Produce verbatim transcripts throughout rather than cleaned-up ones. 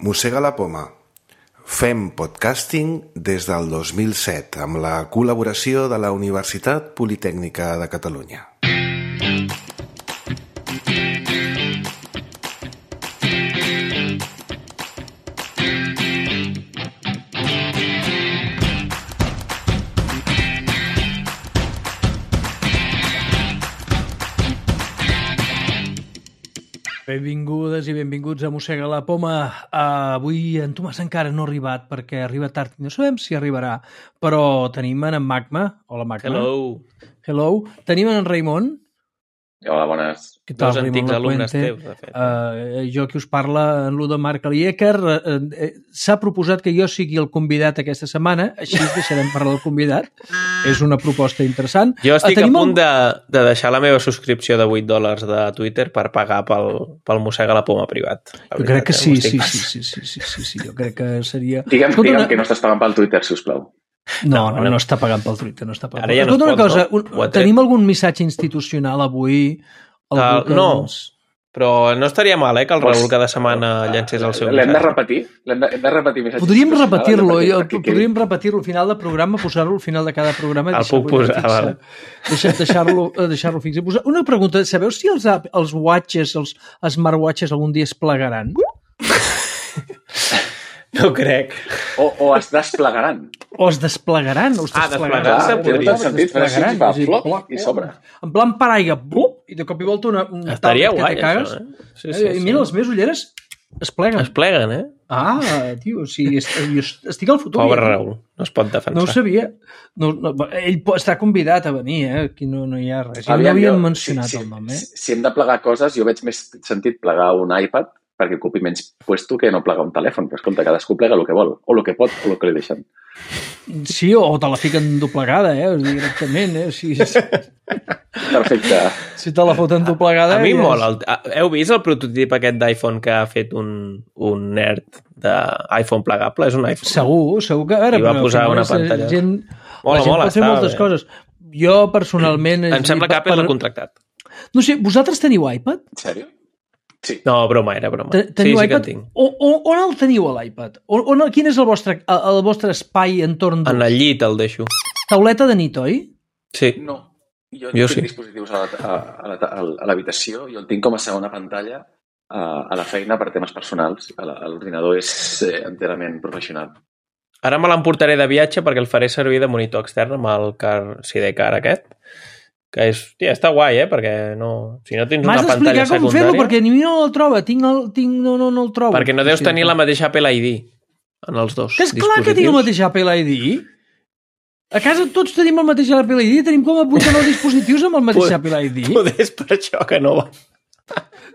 Mossega la poma. Fem podcasting des del dos mil set amb la col·laboració de la Universitat Politècnica de Catalunya. Benvingudes i benvinguts a Mossega la poma. Uh, avui en Tomàs encara no ha arribat perquè arriba tard i no sabem si arribarà, però tenim en Magma. Hola, Magma. Hello. Hello. Tenim en Raimon. Hola, bones. Què tal, Dos antics alumnes teus, de fet. Uh, jo que us parla, en Ludo Marc Alieker, uh, uh, s'ha proposat que jo sigui el convidat aquesta setmana, així deixarem parlar del convidat. És una proposta interessant. Jo estic uh, a punt el... de, de deixar la meva subscripció de vuit dòlars de Twitter per pagar pel, pel Mossega la poma privat. Jo crec que sí, sí, sí, sí, sí, sí, sí, sí, jo crec que seria... Digue'm, Escolta, digue'm una... que no estàs pagant pel Twitter, sisplau. No, no, no, no està pagant pel Twitter, no està pagant. Ara ja no Escolta, es pot, una cosa, no? un, tenim algun missatge institucional avui? Uh, que... no, però no estaria mal, eh, que el Raül cada setmana llancés el seu L'hem missatge. de repetir? L'hem de, hem de repetir missatge. Podríem repetir-lo, jo, perquè podríem repetir-lo al final del programa, posar-lo al final de cada programa. El puc posar, vale. Deixar, deixar-lo deixar-lo fix. Una pregunta, sabeu si els, els watches, els smartwatches algun dia es plegaran? No crec. O, o es desplegaran. O es desplegaran. O es Ah, desplegaran. desplegar-se Té tot el sentit, però així fa flop i sobre. En plan paraigua, blup, i de cop i volta una, un Estaria tablet guai, que te cagues. això, eh? Sí, Eh, sí, I sí. mira, les meves ulleres es pleguen. Es pleguen, eh? Ah, tio, o sigui, est- jo estic al futur. Pobre ja. Raül, no es pot defensar. No ho sabia. No, no, ell po- està convidat a venir, eh? Aquí no, no hi ha res. Ja no Aviam, havien jo, mencionat si, el nom, eh? Si, si hem de plegar coses, jo veig més sentit plegar un iPad perquè ocupi menys puesto que no plegar un telèfon. Però escolta, cadascú plega el que vol, o el que pot, o el que li deixen. Sí, o te la fiquen doblegada, eh? O sigui, directament, eh? O sigui, si, Perfecte. si te la foten doblegada... A mi ja mola. és- El, heu vist el prototip aquest d'iPhone que ha fet un, un nerd d'iPhone plegable? És un iPhone. Segur, segur que... Ara, I va però, posar al final una és pantalla. Gent, Mola, la gent mola, pot fer està moltes bé. coses. Jo, personalment... és Em a sembla dir, que Apple per- l'ha contractat. No sé, vosaltres teniu iPad? En sèrio? Sí. No, broma, era broma. Te- Sí, Teniu sí que en iPad? tinc. O, o, on el teniu, l'iPad? On, on, quin és el vostre, el, el vostre espai entorn En d'ús? el llit el deixo. Tauleta de nit, oi? Sí. No. Jo, Jo tinc sí. dispositius a la- a- a la- a l'habitació i el tinc com a segona pantalla a, a la feina per temes personals. A la- a L'ordinador és eh, enterament professional. Ara me l'emportaré de viatge perquè el faré servir de monitor extern amb el car Sidecar aquest, que és, tia, està guai, eh? Perquè no, si no tens M'has una d'explicar pantalla com fer-lo, secundària... perquè ni mi no el troba. Tinc el, tinc, no, no, no el trobo. Perquè no deus Sí, tenir la mateixa Apple I D en els dos Que és clar que tinc el mateix Apple I D. A casa tots tenim el mateix Apple I D, tenim com a vuit o nou dispositius amb el mateix Poder- Apple I D. Poder és per això que no va.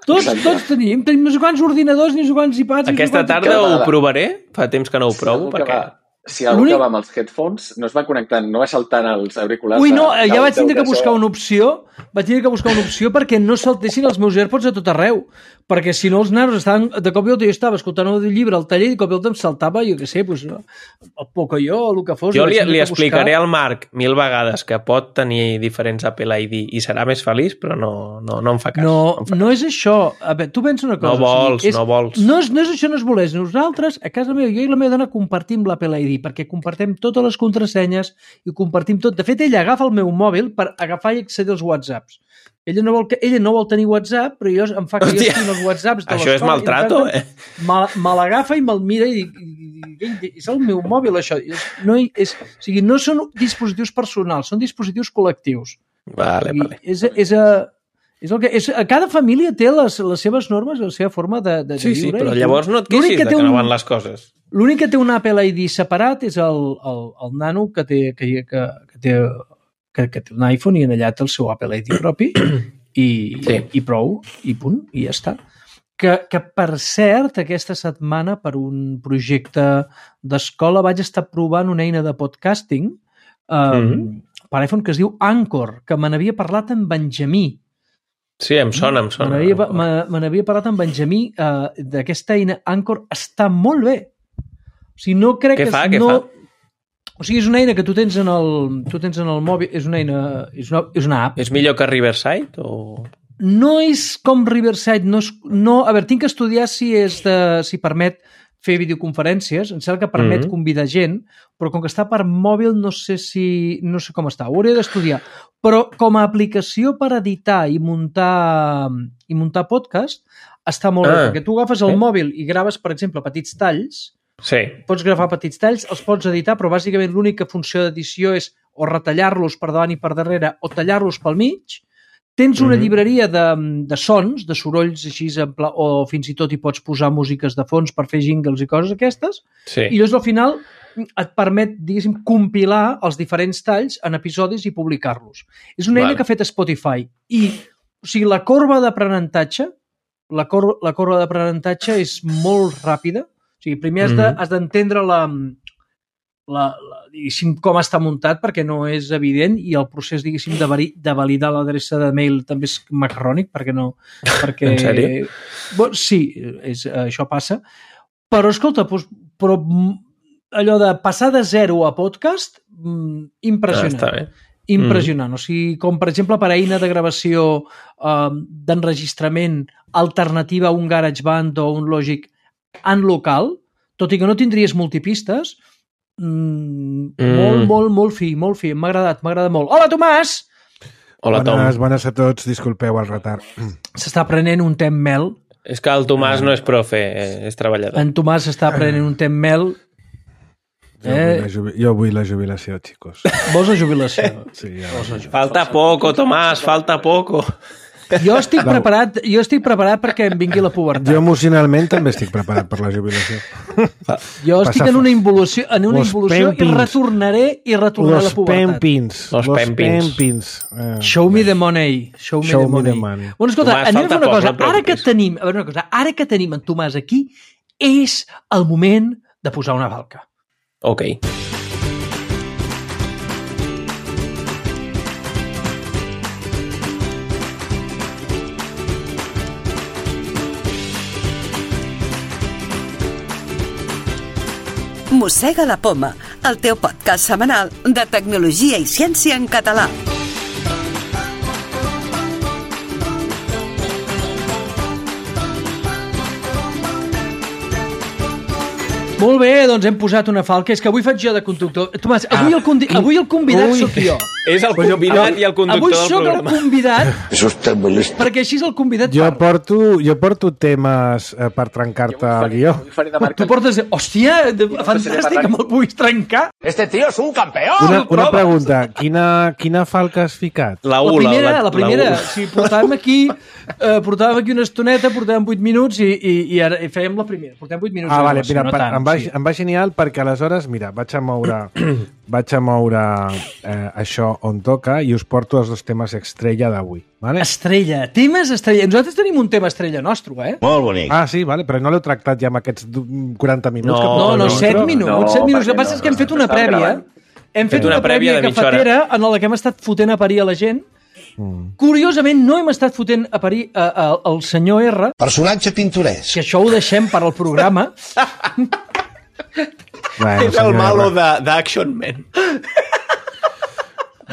Tots, Exacte. tots tenim, tenim no sé quants ordinadors, ni no sé quants iPads... ni no sé Aquesta quants- tarda cada- ho provaré, fa temps que no ho provo, algú que perquè... va, si algú L'únic- que va amb els headphones no es va connectant, no va saltant els auriculars... Ui, no, a- ja del- vaig tindre del que buscar so. una opció, vaig tindre que buscar una opció perquè no saltessin els meus AirPods a tot arreu, perquè si no els nanos estaven, de cop i volta jo estava escoltant un llibre al taller i de cop i volta em saltava, jo què sé, pues, el Pocoyo o el que fos. Jo vaig li, tindre li que buscar. explicaré al Marc mil vegades que pot tenir diferents Apple I D i serà més feliç, però no, no, no em fa cas. No, em fa no és això. A veure, tu pensa una cosa. No vols, o sigui, és, no vols. No és, no és això, no és voler. Nosaltres, a casa meva, jo i la meva dona compartim l'Apple I D perquè compartim totes les contrasenyes i compartim tot. De fet, ella agafa el meu mòbil per agafar i accedir als WhatsApps. Ella no vol, que, ella no vol tenir WhatsApp, però jo em fa que Hòstia, jo estigui els WhatsApps de això és l'escola i, maltrato, de tant, eh? Me, me l'agafa i me'l mira i, i, i, i és el meu mòbil, això. És, no, hi- és, o sigui, no són dispositius personals, són dispositius col·lectius. Vale, I vale. és, és, a, és el que, és, a cada família té les, les seves normes, la seva forma de, de, Sí, de sí, viure. però i tu- llavors no et l'únic queixis que de té que no un- van les coses. L'únic que té un Apple I D separat és el, el, el nano que té, que, que, que, té, que, que té un iPhone i en allà té el seu Apple I D propi i, Sí. i prou, i punt, i ja està. Que, que, per cert, aquesta setmana, per un projecte d'escola, vaig estar provant una eina de podcasting um, Mhm. per iPhone que es diu Anchor, que me n'havia parlat amb Benjamí. Sí, em sona, em Me sona. n'havia me- me n'havia parlat amb Benjamí uh, d'aquesta eina Anchor. Està molt bé. O sigui, no crec Què que... fa, què no... fa? O sigui, és una eina que tu tens en el, tu tens en el mòbil, és una eina, és una, és una app. És millor que Riverside o... No és com Riverside, no és, no, a veure, tinc que estudiar si és de, si permet fer videoconferències, em sembla que permet mm-hmm. convidar gent, però com que està per mòbil no sé si no sé com està, ho hauria d'estudiar. Però com a aplicació per editar i muntar i muntar podcast està molt ah, bé, perquè tu agafes el eh? mòbil i graves, per exemple, petits talls, sí. pots gravar petits talls, els pots editar, però bàsicament l'única funció d'edició és o retallar-los per davant i per darrere o tallar-los pel mig. Tens una mm-hmm. llibreria de, de sons, de sorolls així, pla, o fins i tot hi pots posar músiques de fons per fer jingles i coses aquestes, sí. i llavors al final et permet, diguéssim, compilar els diferents talls en episodis i publicar-los. És una eina vale. que ha fet Spotify. I, o sigui, la corba d'aprenentatge, la, cor la corba d'aprenentatge és molt ràpida. O sigui, primer has de, has d'entendre la... La, la, diguéssim, com està muntat perquè no és evident i el procés, diguéssim, de, de validar l'adreça de mail també és macarrònic perquè no... Perquè, en sèrio? Bon, sí, és, això passa. Però, escolta, doncs, però allò de passar de zero a podcast, impressionant. Ah, impressionant. Mm. O sigui, com per exemple per eina de gravació eh, d'enregistrament alternativa a un GarageBand o un Logic en local, tot i que no tindries multipistes, Mm, mm. molt, molt, molt fi, molt fi. M'ha agradat, m'ha agradat molt. Hola, Tomàs! Hola, Tom. Bones, bones a tots, disculpeu el retard. S'està prenent un tem mel. És que el Tomàs no és profe, és treballador. En Tomàs s'està prenent un tem mel. Jo, eh? vull jubi... jo vull la jubilació, xicos. Vols la jubilació? Sí, ja Vols la jubilació? Falta poco, Tomàs, falta poco. Jo estic preparat, jo estic preparat perquè em vingui la pubertat. Jo emocionalment també estic preparat per la jubilació. Jo estic en una involució, en una involució i retornaré i retornaré a la pubertat. Pempins, los pempins. pempins. Eh, Show me the money. Show me Show the money. Me the money. Bueno, escolta, Tomàs, anem a fer una poc, cosa. No ara que tenim, a veure una cosa, ara que tenim en Tomàs aquí, és el moment de posar una falca. Ok. Mossega la Poma, el teu podcast setmanal de tecnologia i ciència en català. Molt bé, doncs hem posat una falca. És que avui faig jo de conductor. Tomàs, avui el, condi... avui el convidat Ui. soc jo. És el convidat i el conductor avui del programa. Avui soc el convidat, perquè així el convidat jo parla. porto, jo porto temes eh, per trencar-te el guió. Tu portes... Hòstia, fantàstic, que me'l puguis trencar. Este tío es un campeón. Una, una pregunta, quina, quina falca has ficat? La U, la primera, la, la primera. La sí, portàvem aquí, eh, portàvem aquí una estoneta, portàvem vuit minuts i, i, i ara i fèiem la primera. Portàvem vuit minuts. Ah, vale, mira, no per, tant, em, va, sí. em va genial perquè aleshores, mira, vaig a moure, vaig a moure eh, això on toca i us porto els dos temes estrella d'avui. Vale? Estrella, temes estrella. Nosaltres tenim un tema estrella nostre, eh? Molt bonic. Ah, sí, vale, però no l'heu tractat ja amb aquests quaranta minuts? No, que No, no, set no, minuts. no, set minuts. El que perquè passa no, és que hem no, fet una estàvem prèvia. gravant. Hem fet una una prèvia prèvia de mitja hora. cafetera en la que hem estat fotent a parir a la gent. Mm. Curiosament, no hem estat fotent a parir a, a, al senyor R. Personatge pintoresc. Que això ho deixem per al programa. Bueno, és el malo d'Action Man.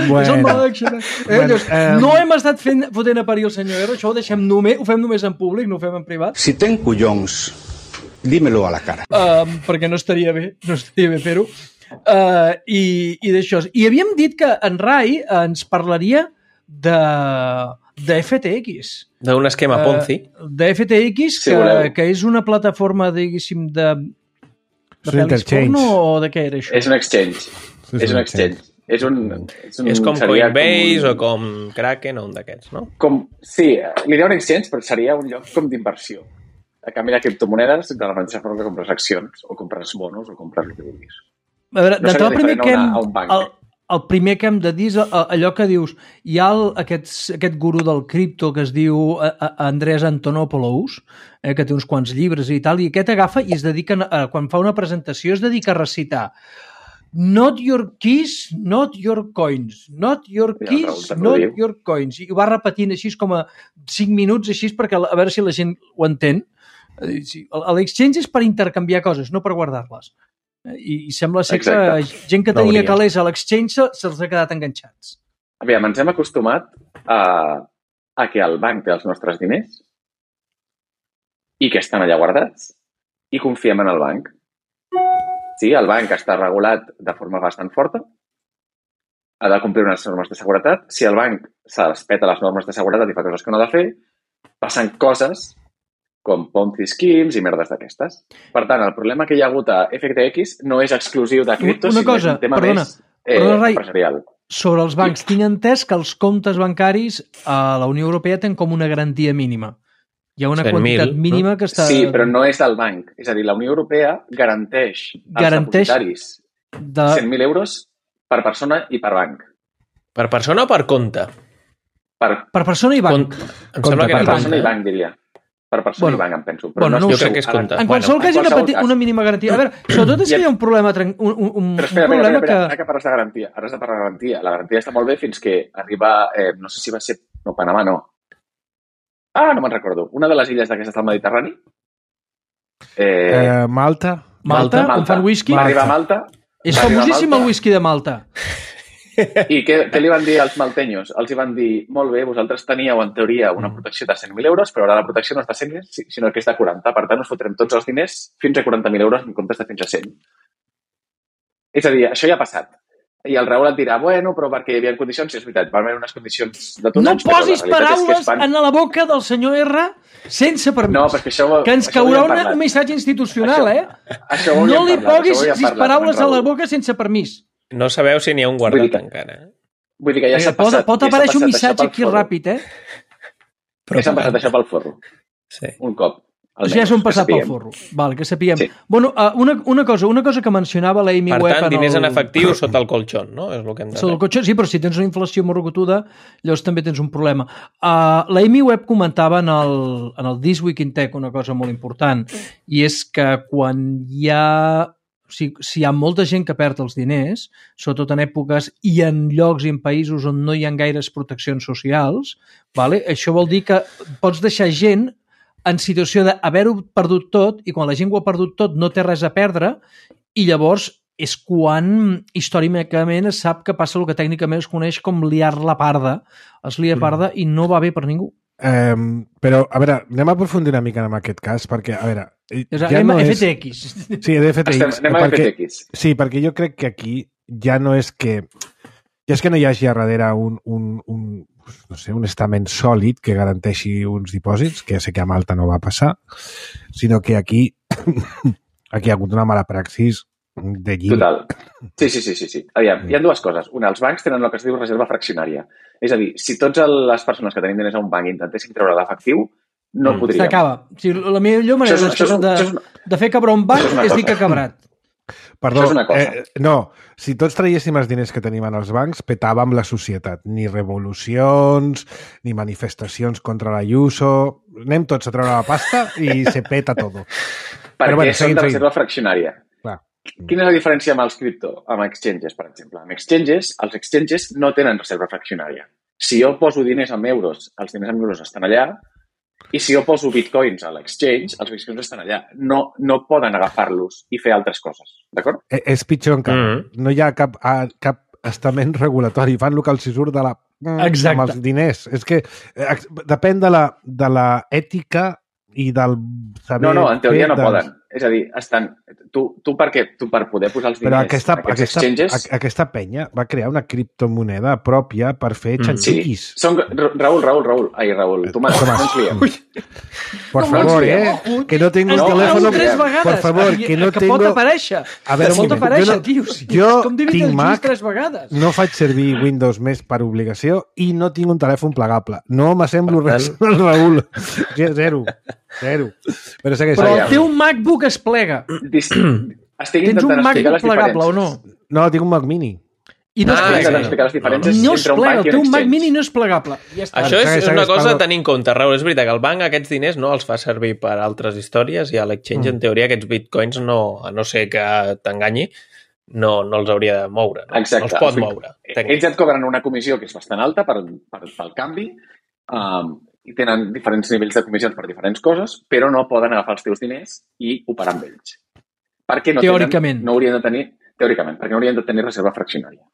Bueno. És el mal d'action. Eh? Bueno, Llavors, eh... no hem estat fent, fotent a parir el senyor R. Això ho deixem només, ho fem només en públic, no ho fem en privat. Si ten collons, dímelo a la cara. Uh, perquè no estaria bé, no estaria bé fer-ho. Uh, I i d'això. I havíem dit que en Rai ens parlaria de, de F T X. D'un esquema Ponzi. Uh, de F T X, Si que, voleu. que és una plataforma, diguéssim, de... És un interchange. porno o de què era això? És un exchange. Sí, és un exchange. És, un, és, un, És com seria Coinbase com un, o com Kraken o un d'aquests, no? Com, sí, li diré un exchange, però seria un lloc com d'inversió. A canvi de criptomonedes, de la mateixa forma que compres accions, o compres bonos, o compres el que vulguis. A veure, No d'entrada, el seria primer que hem, diferent a una- a un banc. el, el primer que hem de dir és a- allò que dius, hi ha el, aquest, aquest gurú del cripto que es diu a, a Andreas Antonopoulos, eh, que té uns quants llibres i tal, i aquest agafa i es dedica, a, quan fa una presentació, es dedica a recitar not your keys, not your coins, not your Ja, keys, Raül, te'n not ho diu. your coins. I ho va repetint així com a cinc minuts, així perquè a veure si la gent ho entén. Eh, sí, L'exchange és per intercanviar coses, no per guardar-les. Eh, I, I sembla ser Exacte. que gent que No tenia hauria. calés a l'exchange se- se'ls ha quedat enganxats. Aviam, ens hem acostumat a, a que el banc té els nostres diners i que estan allà guardats i confiem en el banc. Sí, el banc està regulat de forma bastant forta, ha de complir unes normes de seguretat. Si el banc se les peta les normes de seguretat i fa coses que no ha de fer, passen coses com Ponzi schemes i merdes d'aquestes. Per tant, el problema que hi ha hagut a F T X no és exclusiu de cripto, Una sinó cosa, és un tema perdona, més eh, perdona, Rai, empresarial. Sobre els bancs, tinc entès que els comptes bancaris a la Unió Europea tenen com una garantia mínima. Hi ha una cent mil, quantitat mínima no? que està... Sí, però no és del banc. És a dir, la Unió Europea garanteix als Garanteix depositaris de... cent mil euros per persona i per banc. Per persona o per compte? Per, Per persona i banc. Compte. Em sembla que per era persona i compte. banc, diria. Per persona Bueno, i banc, em penso. Però bueno, no, no ho estic sé. Jo crec que és segur. compte. Ara, En qualsevol bueno, cas, hi ha una, qualsevol peti, cas. una mínima garantia. A veure, sobretot és que hi ha un problema, tren- un, un, un, Però espera, un espera, problema espera, espera, que... que parles de garantia. Ara has de parlar de garantia. La garantia està molt bé fins que arriba, eh, no sé si va ser... No, Panamà no. Ah, no me'n recordo. Una de les illes d'aquestes del Mediterrani. Eh, Eh, Malta. Malta, on fan whisky. Va arribar a Malta. És va arribar a famosíssim Malta. el whisky de Malta. I què, què li van dir als maltenyos? Els hi van dir, molt bé, vosaltres teníeu en teoria una protecció de cent mil euros, però ara la protecció no és de cent, sinó que és de quaranta. Per tant, us fotrem tots els diners fins a quaranta mil euros en comptes de fins a cent. És a dir, això ja ha passat. I el Raül et dirà, bueno, però perquè hi havia condicions, i és veritat, van haver unes condicions de tots No anys, però la posis realitat és que paraules es fan... en la boca del senyor R sense permís. No, perquè això... que ens això ho caurà havíem una, parlat. un missatge institucional, Això- eh? Això ho No havíem li parlat, posis això ho havíem sis parlat paraules amb a en la Raül. boca sense permís. No sabeu si n'hi ha un Vull dir guardat que- encara. eh? Vull dir que ja s'ha pot, passat... pot ja s'ha aparèixer un passat missatge això pel aquí forro. ràpid, eh? Ja s'han passat això pel forro. Sí. Un cop. Almenys, ja s'han passat pel forro. Val, que sapiguem. Sí. Bueno, uh, una, una, cosa, una cosa que mencionava l'Amy Per Webb... tant, diners en el... efectiu sota el colxón, no? És el que hem de Sobre el fer. cotxe, sí, però si tens una inflació morrocotuda, llavors també tens un problema. Uh, L'Amy Webb comentava en el, en el This Week in Tech una cosa molt important, i és que quan hi ha... O sigui, si hi ha molta gent que perd els diners, sobretot en èpoques i en llocs i en països on no hi ha gaires proteccions socials, vale? Això vol dir que pots deixar gent en situació d'haver-ho perdut tot, i quan la gent ho ha perdut tot no té res a perdre, i llavors és quan històricament es sap que passa el que tècnicament es coneix com liar la parda. Es lia parda i no va bé per ningú. Um, però, a veure, anem a aprofundir una mica en aquest cas, perquè, a veure... És ja no F és... T X. Sí, de F T X. Estem, anem a perquè... F T X. Sí, perquè jo crec que aquí ja no és que... Ja és que no hi hagi a darrere un, un, un, no sé, un estament sòlid que garanteixi uns dipòsits, que ja sé que a Malta no va passar, sinó que aquí aquí hi ha hagut una mala praxis de lliure. Total. Sí, sí, sí, sí, sí. Aviam, hi ha dues coses. Una, els bancs tenen el que es diu reserva fraccionària. És a dir, si totes les persones que tenim diners a un banc intentessin treure l'efectiu, no Mm. podríem. S'acaba. O sigui, la millor manera Això és- això és un- de, això és una- de fer cabre un banc això és una és dir cosa. que ha cabrat. Perdó, Això és una cosa. Eh, no, si tots traiéssim els diners que tenim en els bancs, petàvem la societat. Ni revolucions, ni manifestacions contra l'Ayuso... Anem tots a treure la pasta i se peta tot. Perquè Però bueno, són seguim, de seguim. reserva fraccionària. Clar. Quina és la diferència amb els cripto, amb exchanges, per exemple? Amb exchanges, els exchanges no tenen reserva fraccionària. Si jo poso diners en euros, els diners en euros estan allà, i si jo poso bitcoins a l'exchange, els bitcoins estan allà. No, no poden agafar-los i fer altres coses, d'acord? Eh, És pitjor encara. Mm. No hi ha cap, a, cap estament regulatori. Fan el que els hi surt de la... Exacte. amb els diners. És que eh, ex- depèn de la, de la ètica i del saber... No, no, en teoria no fer dels- poden. És a dir, estan... Tu, tu, per què? Tu per poder posar els diners Però aquesta, en aquests aquesta, exchanges... a- aquesta penya va crear una criptomoneda pròpia per fer Mm. Sí, xanxiquis. són... Ra- Raül, Raül, Raül. Ai, Raül, Tomàs, Tomàs. no ens liem. Por No, favor, no, eh? no, Que no tengo el no, teléfono... no, tres vegades. Por favor, que no que tengo... pot aparèixer. A veure, un pot moment. aparèixer, Jo no- tio. Sí, jo és com dividir tinc els Mac, junts tres vegades. No faig servir Windows més per obligació i no tinc un telèfon plegable. No m'assemblo Per res al Raül. Zero. Zero. Però segueix. Però segueix. el teu MacBook es plega. Dis... Estic Tens un intentant explicar MacBook les plegable o diferències. no? No, tinc un Mac Mini. I no es Ah, Estic plega. intentant explicar les diferències No es entre un plega. banc El i un teu Mac exchange. Mini no és plegable. Ja està. Això és Segueix, una segueix, cosa a Pablo. tenir en compte, Raül. És veritat que el banc aquests diners no els fa servir per altres històries i a l'exchange, Mm. en teoria, aquests bitcoins, no, a no ser que t'enganyi, no, no els hauria de moure. No, Exacte. no els pot O sigui, moure. Ells tècnicament. et cobren una comissió que és bastant alta per, per, pel canvi um, i tenen diferents nivells de comissions per diferents coses, però no poden agafar els teus diners i operar amb ells. Perquè no Teòricament. Tenen, no haurien de tenir, teòricament, perquè no haurien de tenir reserva fraccionària.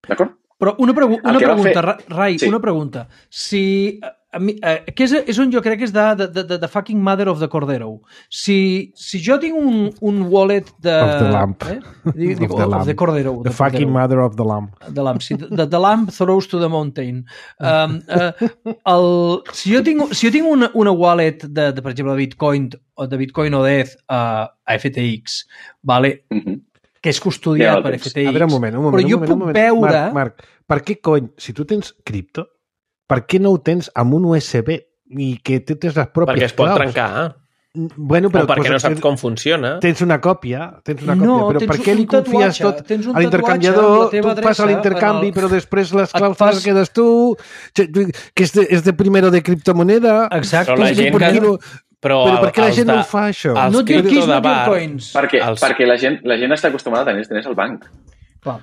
D'acord? Però una, pregu una que va pregunta, fer- Rai, Sí. una pregunta. Si... A mi, eh, que és, és on jo crec que és de, de, de, de fucking mother of the Cordero. Si, si jo tinc un, un wallet de... Of the lamp. Eh? Dic, dic, Of the of lamp. the Cordero. The de fucking Cordero. mother of the lamb. The lamp, sí, the, the lamp throws to the mountain. Um, uh, el, si jo tinc, si jo tinc una, una wallet de, de, per exemple, de Bitcoin o de Bitcoin o d'E T H uh, a F T X, vale, Mhm. que és custodiat Ja, per doncs, F T X, A veure, un moment, un moment. però jo un moment, puc un moment. veure... Marc, Marc, per què cony, si tu tens cripto, per què no ho tens amb un U S B i que tu tens les pròpies Perquè es pot claus? trencar. Bueno, però, O perquè pues, no saps tens- com funciona. Tens una còpia, tens una No, còpia, però tens per què li un confies tatuatge, tot tens un a l'intercanviador? tatuatge amb la teva Tu fas adreça l'intercanvi, en el- però després les Et claus fas- les quedes tu, que és de, és de primero de criptomoneda. Exacte. Però la gent per que- què no, Però, però per què la els gent de- no ho fa, això? els Not your cripto keys, de not your bar, coins. Perquè, Els- perquè la, gent, la gent està acostumada a tenir els diners al banc. Clar.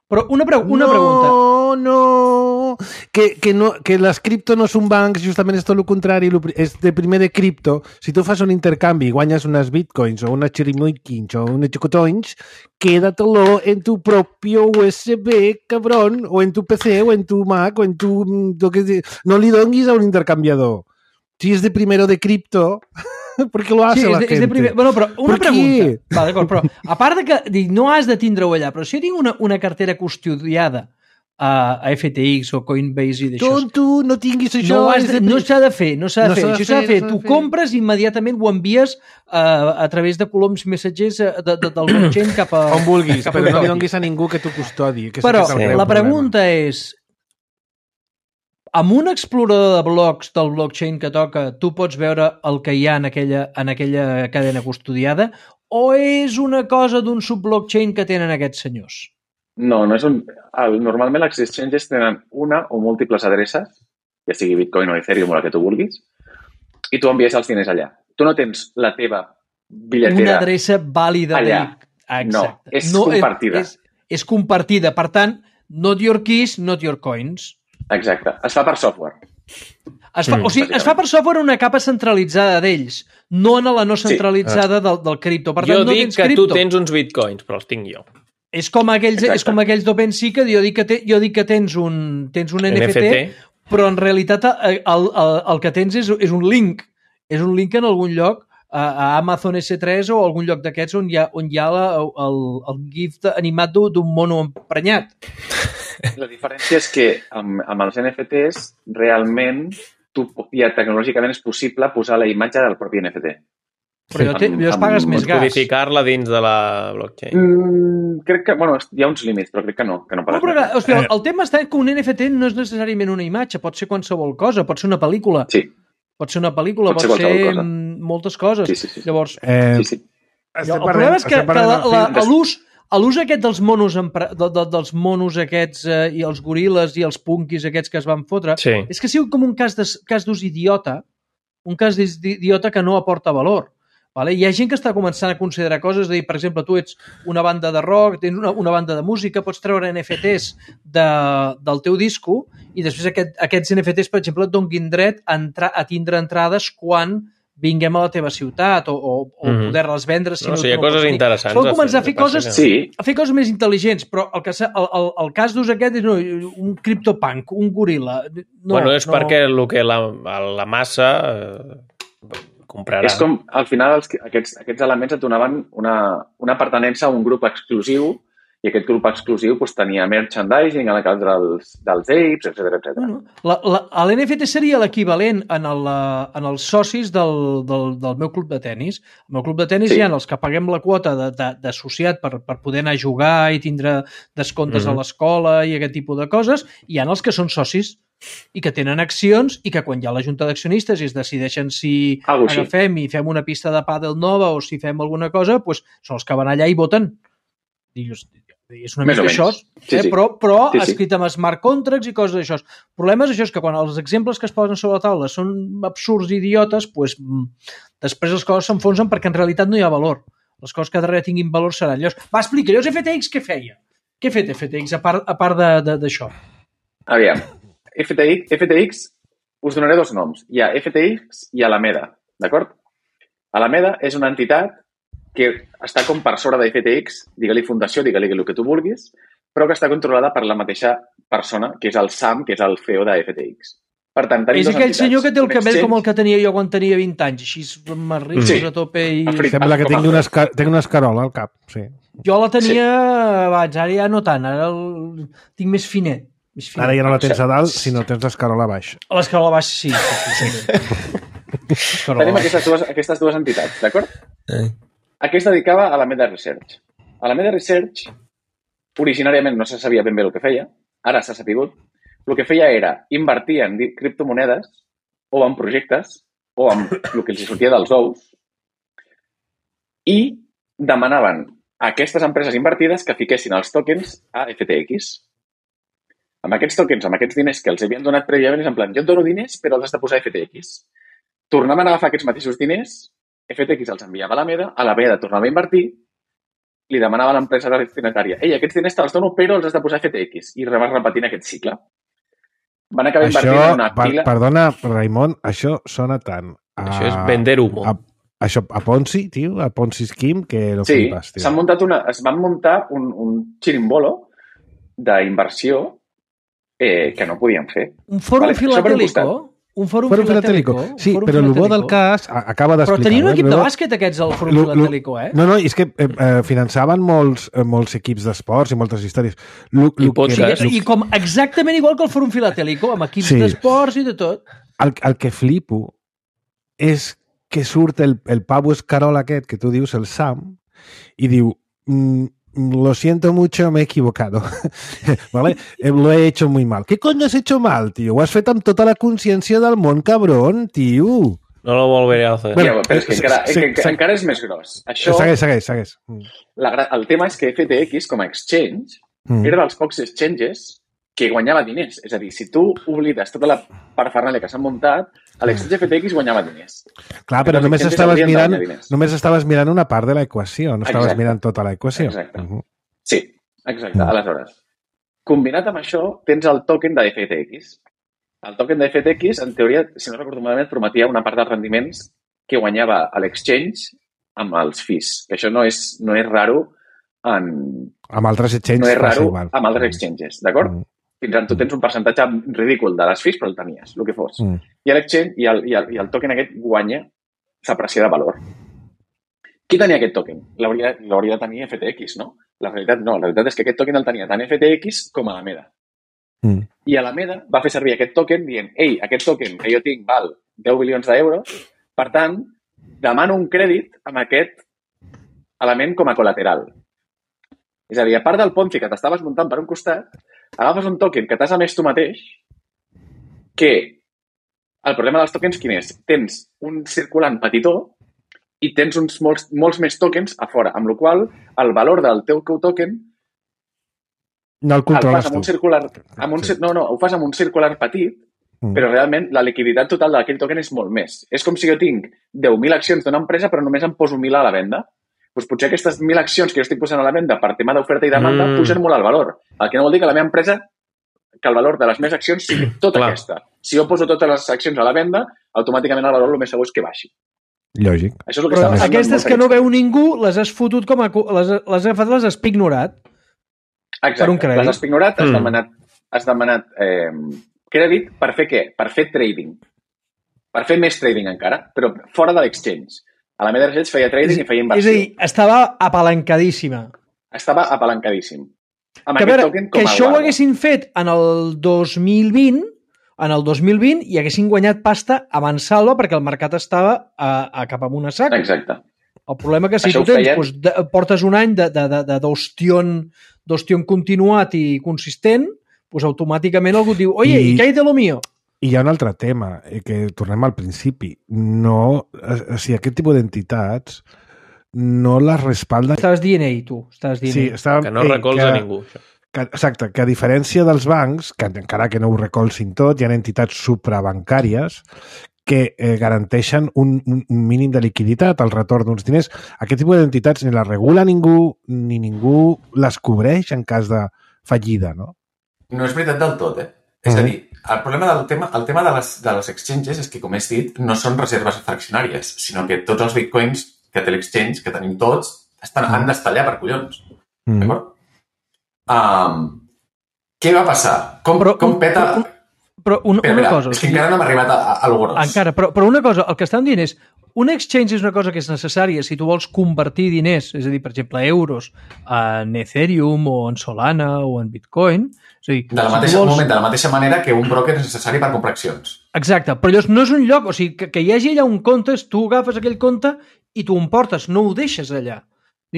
Però una, pre una no, pregunta. No, no, que, que, no, que les cripto no són bancs, justament és tot el contrari, lo pri- és de primer de cripto. Si tu fas un intercanvi i guanyes unes bitcoins o unes chirimoikins o unes chocotoins, quédatelo en tu propio U S B, cabrón, o en tu P C o en tu Mac o en tu... lo que- no li donguis a un intercanviador. Si és de primero de cripto, ¿por qué lo hace Sí, és la de, gente? és de primer... Bueno, però una Per què? pregunta. Va, d'acord, però a part de que dic, no has de tindre-ho allà, però si jo tinc una, una cartera custodiada a, a F T X o Coinbase i d'això, Tonto, no tinguis això. no has és de- de- no s'ha de fer, no s'ha de No fer. s'ha de Això s'ha de fer, fer. no s'ha Tu de fer. compres i immediatament ho envies uh, a través de coloms missatgers uh, de, de, del blockchain cap a... On vulguis, cap a però no li custodi. donguis a ningú que t'ho custodi. Que Però és el Sí. greu la problema. pregunta és, amb un explorador de blocs del blockchain que toca, tu pots veure el que hi ha en aquella, en aquella cadena custodiada, o és una cosa d'un subblockchain que tenen aquests senyors? No, no és un... El, normalment les exchanges tenen una o múltiples adreces, ja sigui Bitcoin o Ethereum o la que tu vulguis, i tu envies els diners allà. Tu no tens la teva bitlletera. Una adreça vàlida. allà. De... Exacte. No, és compartida. És, és compartida. Per tant, not your keys, not your coins. Exacte. Es fa per software. Es fa, Mm. o sigui, es fa per software una capa centralitzada d'ells, no en la no centralitzada del, del cripto. Per tant, Jo no dic tens que cripto. tu tens uns bitcoins, però els tinc jo. És com aquells, Exacte. és com aquells d'OpenSea que jo dic que, te, jo dic que tens un, tens un N F T, N F T. però en realitat el, el, el, el que tens és, és un link. És un link en algun lloc, a, a Amazon S tres o algun lloc d'aquests on hi ha, on hi ha la, el, el gif de- animat d'un d'un mono emprenyat. La diferència és que amb, amb els N F Ts realment tu, ja tecnològicament és possible posar la imatge del propi N F T. Però allò, té, Amb- allò es amb- pagues amb més gas. Codificar-la dins de la blockchain. Mm, crec que, bueno, hi ha uns límits, però crec que no, que no No, pagues però, més. hòstia, el tema està que un N F T no és necessàriament una imatge, pot ser qualsevol cosa, pot ser una pel·lícula, Sí, pot ser una pel·lícula, Pot pot ser ser, qualsevol cosa. mm, moltes coses. Sí, sí, sí. Llavors, Eh, sí, sí. estem el parlant- problema és que, estem que parlant la, en la, fi- a l'ús a l'ús aquest dels monos empre- de, de, dels monos aquests eh, i els goril·les i els punkis aquests que es van fotre, Sí. és que ha sigut com un cas d'ús cas d'ús idiota, un cas d'ús idiota que no aporta valor. Vale? Hi ha gent que està començant a considerar coses, de dir, per exemple, tu ets una banda de rock, tens una, una banda de música, pots treure N F Ts de, del teu disco i després aquest, aquests N F Ts, per exemple, et donin dret a, entrar, a tindre entrades quan vinguem a la teva ciutat o, o, o Mhm. poder-les vendre. Si No, no, sí, tu hi ha no coses pots tenir. interessants Poden a començar a fer, fer el que passa coses, que- Sí, a fer coses més intel·ligents, però el, que, s'ha- el, el, el cas d'ús aquest és no, un criptopunk, un goril·la. No, bueno, és no. perquè el que la, la massa eh, comprarà. és com, al final, els, aquests, aquests elements et donaven una, una pertenença a un grup exclusiu i aquest grup exclusiu doncs, tenia merchandising en el cas dels, dels apes, etcètera, etcètera. Bueno, la, la, L'N F T seria l'equivalent en, el, eh, en els socis del, del, del meu club de tennis. Al meu club de tennis Sí. hi ha els que paguem la quota de- de- d'associat per, per poder anar a jugar i tindre descomptes Mhm. a l'escola i aquest tipus de coses. I hi ha els que són socis i que tenen accions i que quan hi ha la junta d'accionistes i es decideixen si Algo així. agafem i fem una pista de pàdel nova o si fem alguna cosa, doncs són els que van allà i voten. Dius, és una Més mica o això, menys. Sí, eh? sí. però, però Sí, sí. escrit amb smart contracts i coses d'això. El problema és això, és que quan els exemples que es posen sobre la taula són absurds i idiotes, doncs, mm, després les coses s'enfonsen perquè en realitat no hi ha valor. Les coses que darrere tinguin valor seran. Llavors, va, explica, llavors F T X què feia? Què ha fet F T X a part, a part de- de- d'això? Aviam, F T X, F T X, us donaré dos noms. Hi ha F T X i Alameda, d'acord? Alameda és una entitat que està com per sobre de F T X, digue-li fundació, digue-li el que tu vulguis, però que està controlada per la mateixa persona, que és el Sam, que és el C E O de F T X. Per tant, tenim És dues aquell entitats. senyor que té el Un cabell exchange- com el que tenia jo quan tenia vint anys, així amb rius Sí. a tope i... Afri- Sembla que com a- tingui una, esca... tingui una escarola al cap, sí. Jo la tenia abans, ara ja no tant, ara el... tinc més finet. Més finet. Ara ja no la tens a dalt, sinó tens l'escarola a baix. A l'escala baixa, sí. sí, sí, sí. L'escarola Tenim baixa. aquestes dues, aquestes dues entitats, d'acord? Eh. A què es dedicava? A la Meta Research. A la Meta Research, originàriament no se sabia ben bé el que feia, ara s'ha sapigut. El que feia era invertir en di- criptomonedes o en projectes o en el que els sortia dels ous i demanaven a aquestes empreses invertides que fiquessin els tokens a F T X. Amb aquests tokens, amb aquests diners que els havien donat prèviament, és en plan, jo et dono diners, però els has de posar a F T X. Tornaven a agafar aquests mateixos diners, F T X els enviava a la Meda, a la Meda tornava a invertir, li demanava a l'empresa destinatària, ei, aquests diners te'ls dono, però els has de posar a F T X. I vas repetint aquest cicle. Van acabar Això, invertint en una per, pila... perdona, Raimon, això sona tant a... Això és vender humo. A, això, a Ponzi, tio, a Ponzi Scheme, que lo Sí, flipes, tio. s'han muntat una, es van muntar un, un xirimbolo d'inversió eh, que no podien fer. Un fòrum Vale, això per un filatèlico? costat. Un fòrum Fòrum filatèlico? filatèlico. Sí, Un fòrum però el bo filatèlico. del cas, a- acaba Però d'explicar... tenien un equip de Lo- bàsquet aquests al fòrum lo- lo- filatèlico, eh? No, no, és que eh, eh, finançaven molts, eh, molts equips d'esports i moltes històries. Lo, I lo podcast. que, I com exactament igual que el fòrum filatèlico, amb equips Sí. d'esports i de tot. el, el que flipo és que surt el, el pavo escarol aquest que tu dius, el Sam, i diu mm, lo siento mucho, me he equivocado. ¿Vale? Eh, Lo he hecho muy mal. ¿Qué coño has hecho mal, tío? Ho has fet amb tota la consciència del món, cabron, tio. No lo volveré a hacer. Bueno, Ja, però és que encara, sí, sí, que, sí. encara és més gros. Això, Segueix, segueix, segueix. Mm. la, gra- el tema és que F T X, com a exchange, Mm. era dels pocs exchanges que guanyava diners. És a dir, si tu oblides tota la parafernàlia que s'han muntat, a l'exchange F T X guanyava diners. Clar, però Els només exchanges estaves haurien de mirant, guanyar diners. només estaves mirant una part de l'equació, no estaves Exacte. mirant tota l'equació. Exacte. Mhm. Sí, exacte. Mm. Aleshores, combinat amb això, tens el token de F T X. El token de F T X, en teoria, si no recordo malament, prometia una part dels rendiments que guanyava a l'exchange amb els fees. Que això no és, no és raro en... Amb altres exchanges no és passa raro igual. amb altres exchanges, d'acord? Mm. Fins on tu tens un percentatge ridícul de les fees, però el tenies, el que fos. Mm. I l'exchange i, el, i, el, i el token aquest guanya s'aprecia de valor. Qui tenia aquest token? L'hauria l'hauria de tenir F T X, no? La realitat no. La realitat és que aquest token el tenia tant F T X com Alameda. Mm. I Alameda va fer servir aquest token dient, ei, aquest token que jo tinc val deu bilions d'euros, per tant, demano un crèdit amb aquest element com a col·lateral. És a dir, a part del Ponzi que t'estaves muntant per un costat, agafes un token que t'has emès tu mateix, que el problema dels tokens quin és? Tens un circulant petitó i tens uns molts, molts més tokens a fora, amb la qual cosa el valor del teu token No el el controles fas amb tu. un circular... Amb un, Sí. cir- no, no, ho fas amb un circular petit, Mm. però realment la liquiditat total d'aquell token és molt més. És com si jo tinc deu mil accions d'una empresa però només em poso mil a la venda. Doncs potser aquestes mil accions que jo estic posant a la venda per tema d'oferta i demanda Mm. mm. pugen molt al valor. El que no vol dir que la meva empresa, que el valor de les meves accions sigui tota Clar. aquesta. Si jo poso totes les accions a la venda, automàticament el valor el més segur és que baixi. Lògic. Això és el que Però està passant aquestes amb que no molta veu ningú, les has fotut com a... cu- Les, les has agafat, les has pignorat. Exacte. per un crèdit. Les has ignorat, has Mm. demanat, has demanat eh, crèdit per fer què? Per fer trading. Per fer més trading encara, però fora de l'exchange. A la Meda Research feia trading i feia És inversió. a dir, estava apalancadíssima. Estava apalancadíssim. Amb Que, a aquest veure, token com que a això ho guarda. haguessin fet en el dos mil vint, en el dos mil vint, i haguessin guanyat pasta a mansalva perquè el mercat estava a, a cap amunt a sac. Exacte. El problema que si Això tu ho tens, feien- doncs, de, portes un any de, de, de, de d'ostión d'ostión continuat i consistent, doncs automàticament algú et diu, oye, I- ¿y qué hay de lo mío? I hi ha un altre tema, eh, que tornem al principi. No, eh, o sigui, aquest tipus d'entitats no les respalden... Estàs dient ell, tu. Estàs dient Sí, ell. estàvem, Que no ei, recolza que- ningú. Això. Que, exacte, que a diferència dels bancs, que encara que no ho recolzin tot, hi ha entitats suprabancàries que eh, garanteixen un, un, un mínim de liquiditat, el retorn d'uns diners. Aquest tipus d'entitats ni les regula ningú, ni ningú les cobreix en cas de fallida, no? No és veritat del tot, eh? És a dir, el problema del tema, el tema de les, de les exchanges és que, com he dit, no són reserves fraccionàries, sinó que tots els bitcoins que té l'exchange, que tenim tots, estan, han d'estar allà per collons. Mm. D'acord? Um, què va passar? Com, Però com un- peta... però un- Però una, Espera, una espera, cosa... és que encara no hem arribat a, a lo gros. Encara, però, però una cosa, el que estan dient és un exchange és una cosa que és necessària si tu vols convertir diners, és a dir, per exemple, euros en Ethereum o en Solana o en Bitcoin. És a dir, De la si tu mateixa, vols... moment, de la mateixa manera que un broker és necessari per comprar accions. Exacte, però llavors no és un lloc, o sigui, que, que hi hagi allà un compte, tu agafes aquell compte i tu em portes, no ho deixes allà.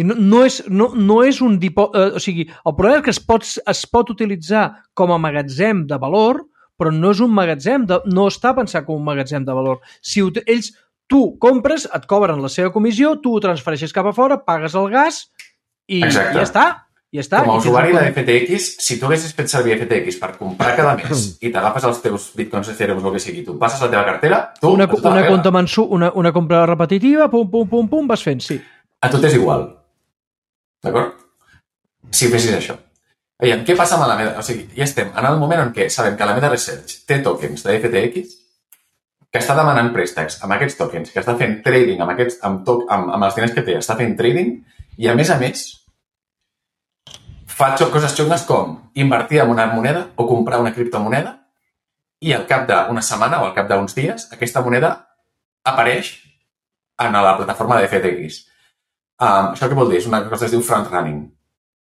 No, no, és, no, no és un dipò... Eh, o sigui, el problema és que es pot, es pot utilitzar com a magatzem de valor, però no és un magatzem, de, no està pensat com un magatzem de valor. Si ho, ells, tu compres, et cobren la seva comissió, tu ho transfereixes cap a fora, pagues el gas i, i Exacte. ja està. Ja està. Com a I tens usuari el- de F T X, si tu haguessis fet servir F T X per comprar cada mes i t'agafes els teus bitcoins, Ethereum, el que sigui, tu passes la teva cartera, tu... una, a tu te la una, pela. compte mensu, una, una compra repetitiva, pum, pum, pum, pum, vas fent, sí. A tu t'és igual. D'acord? Si fessis això. Veiem, què passa amb la Meta? O sigui, ja estem en el moment en què sabem que la Meta Research té tokens de F T X, que està demanant préstecs amb aquests tokens, que està fent trading amb, aquests, amb, to, amb, amb els diners que té, està fent trading, i a més a més fa coses xungues com invertir en una moneda o comprar una criptomoneda i al cap d'una setmana o al cap d'uns dies aquesta moneda apareix en la plataforma de F T X. Um, això què vol dir? És una cosa que es diu front-running.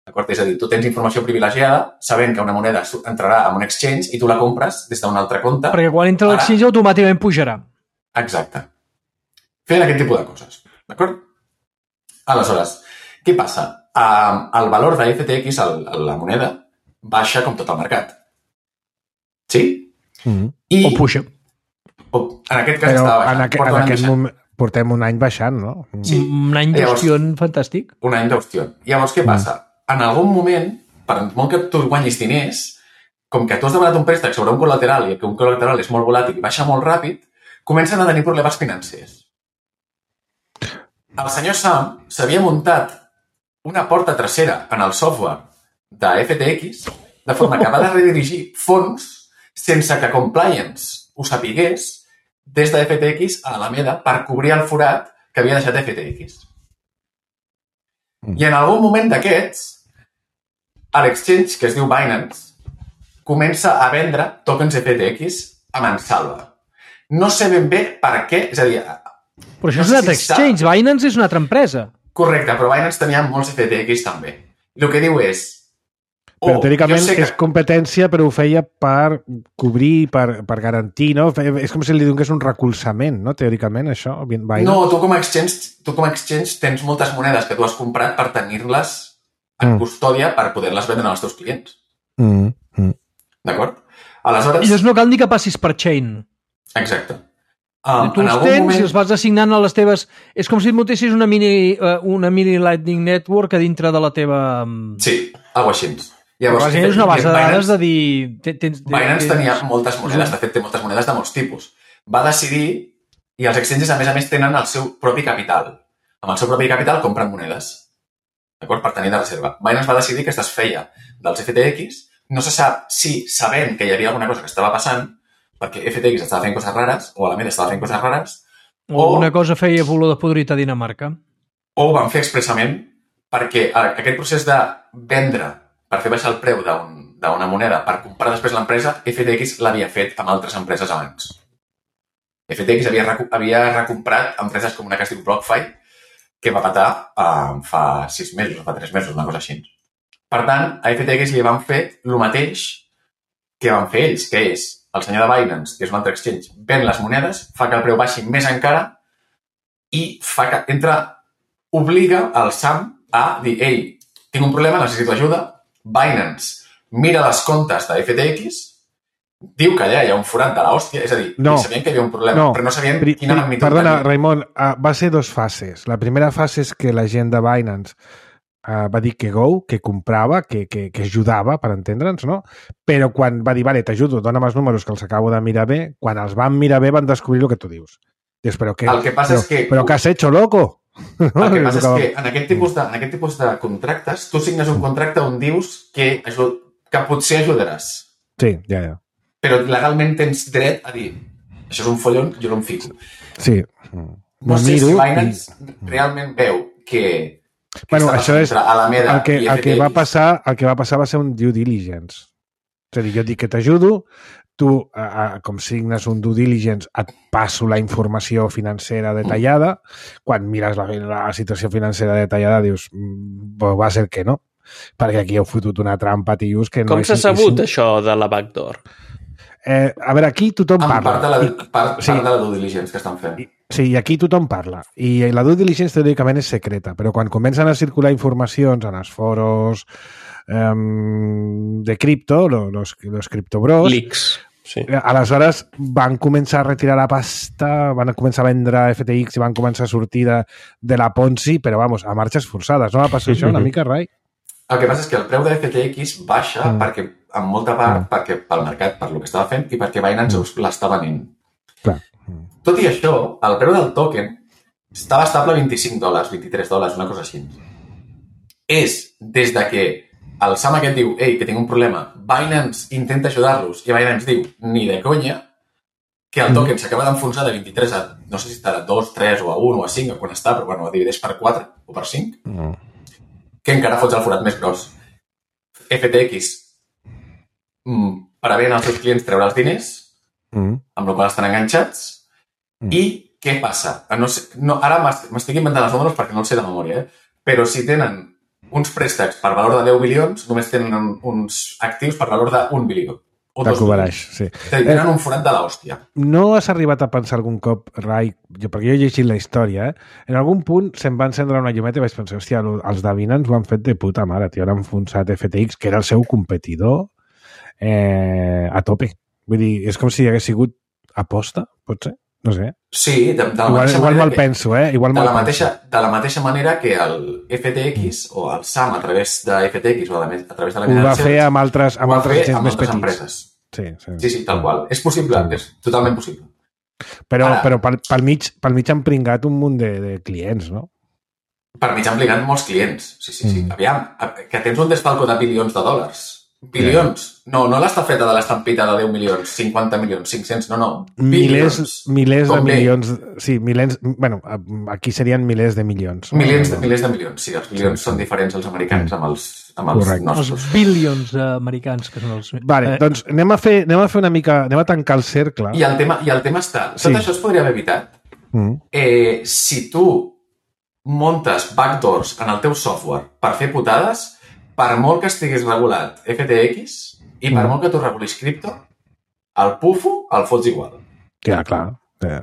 D'acord? És a dir, tu tens informació privilegiada sabent que una moneda entrarà en un exchange i tu la compres des d'un altre compte. Perquè quan entra Ara- l'exchange automàticament pujarà. Exacte. Fent aquest tipus de coses. D'acord? Aleshores, què passa? Um, el valor de F T X, el, la moneda, baixa com tot el mercat. Sí? Mm. I, O puja. o, en aquest cas Però estava en, baixant. aqu Porta en un any aquest baixant. moment portem un any baixant, no? Sí. Un any Llavors- d'ostió fantàstic. Un any d'ostió. Llavors, què passa? En algun moment, per molt que tu guanyis diners, com que tu has demanat un préstec sobre un col·lateral i que un col·lateral és molt volàtil i baixa molt ràpid, comencen a tenir problemes financers. El senyor Sam s'havia muntat una porta trasera en el software de F T X de forma que va de redirigir fons sense que Compliance ho sapigués des de F T X a Alameda per cobrir el forat que havia deixat F T X. I en algun moment d'aquests, l'exchange, que es diu Binance, comença a vendre tokens F T X a mansalva. No sé ben bé per què, és a dir, Però això No és sé un altre si sap. exchange. Binance és una altra empresa. correcte, però Binance tenia molts F T X també. I el que diu és... Però oh, teòricament jo sé que- és competència, però ho feia per cobrir, per, per garantir, no? Fe- És com si li donés un recolzament, no? Teòricament, això, Binance. No, tu com a exchange, tu com a exchange tens moltes monedes que tu has comprat per tenir-les en Mm. custòdia per poder-les vendre als teus clients. Mm, mm. D'acord? I Aleshores... llavors no cal ni que passis per chain. Exacte. Um, Tu els tens i els vas assignant a les teves... És com si et muntessis una mini, uh, una mini Lightning Network a dintre de la teva... um, Sí, alguna cosa així. Llavors, és una base de dades de dir... te- Tens, Binance tens- tenia moltes monedes, de fet té moltes monedes de molts tipus. Va decidir, i els exchanges a més a més tenen el seu propi capital. Amb el seu propi capital compren monedes. D'acord? Per tenir de reserva. Binance va decidir que es desfeia dels F T X. No se sap si, sabent que hi havia alguna cosa que estava passant, perquè F T X estava fent coses rares, o Alameda estava fent coses rares, O una cosa feia volor de podrit a Dinamarca. o ho van fer expressament perquè a- aquest procés de vendre per fer baixar el preu d'un- d'una moneda per comprar després l'empresa, F T X l'havia fet amb altres empreses abans. F T X havia, recu havia recomprat empreses com una que es diu BlockFi, que va patar eh, fa sis mesos o fa tres mesos, una cosa així. Per tant, a F T X li van fer el mateix que van fer ells, que és el senyor de Binance, que és un altre exchange, ven les monedes, fa que el preu baixi més encara i fa que entra, obliga el Sam a dir, ei, tinc un problema, necessito ajuda. Binance mira les comptes de F T X, diu que allà hi ha un forat de l'hòstia, és a dir, No. no. sabien que hi havia un problema, No. però no sabien Pri- quina pri- magnitud Perdona, tenia. Raimon, uh, va ser dos fases. La primera fase és que la gent de Binance uh, va dir que go, que comprava, que, que, que ajudava, per entendre'ns, no? Però quan va dir, vale, t'ajudo, dona'm els números que els acabo de mirar bé, quan els van mirar bé van descobrir el que tu dius. Dius, però què? El que passa però, és que- Però què has hecho, loco? El que passa és Tocava- que en aquest, tipus de, en aquest tipus de contractes, tu signes un contracte on dius que, aju- que potser ajudaràs, Sí, ja, ja. però legalment tens dret a dir això és un follon, jo no em fico. Sí. No sé si Binance realment veu que Bueno, això és... Alameda el que, i el, que va passar, el que va passar va ser un due diligence. És a dir, jo dic que t'ajudo, tu, eh, com signes un due diligence, et passo la informació financera detallada. Quan mires la, la situació financera detallada, dius, va ser que no, perquè aquí heu fotut una trampa, tios, que no... Com s'ha sabut, això de la backdoor? Eh, a veure, aquí tothom en parla. Part de la, part, sí. part de la due diligence que estan fent. Sí, i aquí tothom parla. I la due diligence teòricament és secreta, però quan comencen a circular informacions en els foros eh, de cripto, los, los criptobros... Leaks. Sí. Aleshores van començar a retirar la pasta, van començar a vendre F T X i van començar a sortir de, de la Ponzi, però vamos, a marxes forçades. No va passar això una mica, Rai? El que passa és que el preu de F T X baixa mm. perquè, en molta part, mm. perquè pel mercat, per lo que estava fent, i perquè Binance mm. l'està venent. Clar. Mm. Tot i això, el preu del token estava estable a vint-i-cinc dòlars, vint-i-tres dòlars, una cosa així. És des de que el Sam aquest diu, ei, que tinc un problema, Binance intenta ajudar-los, i Binance diu, ni de conya, que el token s'acaba d'enfonsar de vint-i-tres a, no sé si estarà a dos, tres o a un o a cinc, o quan està, però bueno, divideix per quatre o per cinc, mm. que encara fots el forat més gros. F T X mm, prevén als seus clients treure els diners, mm. amb la qual estan enganxats, mm. i què passa? No sé, no, ara m'estic inventant els números perquè no els sé de memòria, eh? Però si tenen uns préstecs per valor de deu milions, només tenen uns actius per valor d'un bilió. O dos milions. Sí. Tenen un forat de l'hòstia. No has arribat a pensar algun cop, Rai, jo, perquè jo he llegit la història, eh? En algun punt se'm va encendre una llumeta i vaig pensar, hòstia, els de Binance ho han fet de puta mare, tio, han enfonsat F T X, que era el seu competidor, eh, a tope. Vull dir, és com si hagués sigut aposta, pot ser? No sé. Sí, de, de la igual, mateixa igual manera me'l que, penso, eh? Igual de, me'l la mateixa, penso. de la mateixa manera que el F T X mm. o el Sam a través de F T X o a, la, a través de la ho va fer amb altres, amb altres gens amb més altres petits. Empreses. Sí, sí. sí, sí, tal qual. És possible, és totalment possible. Però, Ara, però pel, pel, mig, pel mig han pringat un munt de, de clients, no? Per mig han pringat molts clients. Sí, sí, sí. Mm. Aviam, que tens un desfalco de bilions de dòlars. Bilions. No, no l'estafeta de l'estampita de deu milions, cinquanta milions, cinc-cents, no, no. Milers, milers de Com milions. Sí, milers, bueno, aquí serien milers de milions. Milers de, milers de milions, sí. Els milions sí, són diferents als americans amb els, amb els nostres. Els bilions americans, que són els... Vale, eh. doncs anem a, fer, anem a fer una mica... Anem a tancar el cercle. I el tema, i el tema està... Tot sí. això es podria haver evitat. Mm. Eh, si tu muntes backdoors en el teu software per fer putades, per molt que estiguis regulat F T X i per mm. molt que tu regulis cripto, el pufo el fots igual. Ja, clar. Ja.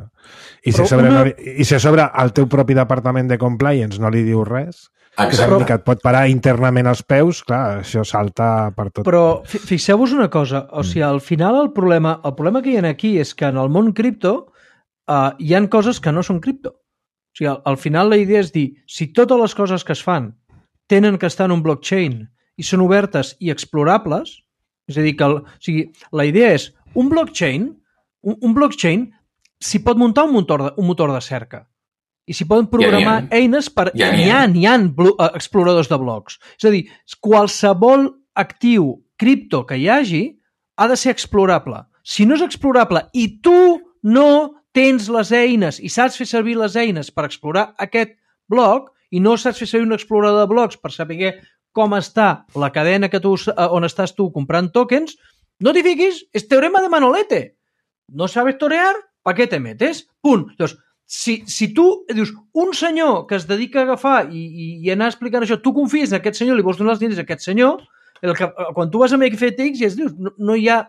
I, si sobre, una... no, I si a sobre el teu propi departament de compliance no li diu res, exacte, que et pot parar internament als peus, clar, això salta per tot. Però fixeu-vos una cosa, o sigui, al final el problema, el problema que hi ha aquí és que en el món cripto uh, hi han coses que no són cripto. O sigui, al, al final la idea és dir, si totes les coses que es fan tenen que estar en un blockchain i són obertes i explorables, és a dir, que el, o sigui, la idea és un blockchain, un, un blockchain s'hi pot muntar un motor de, un motor de cerca i s'hi poden programar ja, ja. eines per... Ja, n'hi ha, n'hi ha exploradors de blocs. És a dir, qualsevol actiu cripto que hi hagi ha de ser explorable. Si no és explorable i tu no tens les eines i saps fer servir les eines per explorar aquest bloc, i no saps fer servir un explorador de blocs per saber com està la cadena que tu, on estàs tu comprant tokens, no t'hi fiquis, és teorema de Manolete. No sabes torear, ¿pa qué te metes? Punt. Llavors, si, si tu dius, un senyor que es dedica a agafar i, i, i anar explicant això, tu confies en aquest senyor, li vols donar els diners a aquest senyor, el que, quan tu vas a F T X i es dius, no, no hi ha...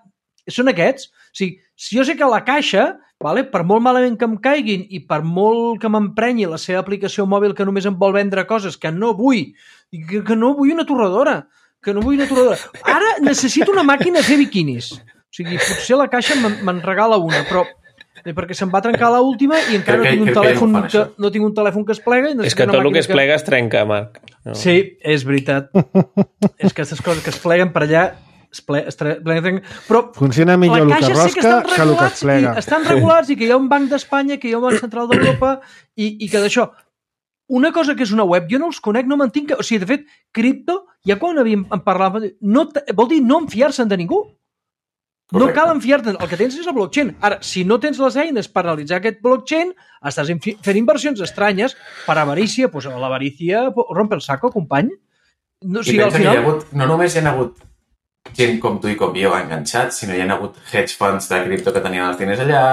Són aquests. O sigui, si jo sé que la caixa, vale, per molt malament que em caiguin i per molt que m'emprenyi la seva aplicació mòbil que només em vol vendre coses que no vull, que, que no vull una torradora, que no vull una torradora. Ara necessito una màquina de fer biquinis. O sigui, potser la caixa me'n regala una, però perquè se'm va trencar l'última i encara no tinc un telèfon que, no tinc un telèfon que es plega. És que tot el que es plega es trenca, Marc. No. Sí, és veritat. És que aquestes coses que es pleguen per allà es ple, es tre, però funciona millor el que rosca que, que el que es plega. Estan regulats i que hi ha un banc d'Espanya, que hi ha un banc central d'Europa i, i que d'això, una cosa que és una web, jo no els conec, no m'entenc, o sigui, de fet, cripto, ja quan havíem parlat, no, vol dir no enfiar-se'n de ningú. No cal enfiar-te. El que tens és el blockchain. Ara, si no tens les eines per realitzar aquest blockchain, estàs fent inversions estranyes per avarícia. Pues l'avarícia rompe el saco, company. No, o sigui, al final... Hi ha hagut, no només hi ha hagut gent com tu i com jo enganxats, sinó hi ha hagut hedge funds de cripto que tenien els diners allà,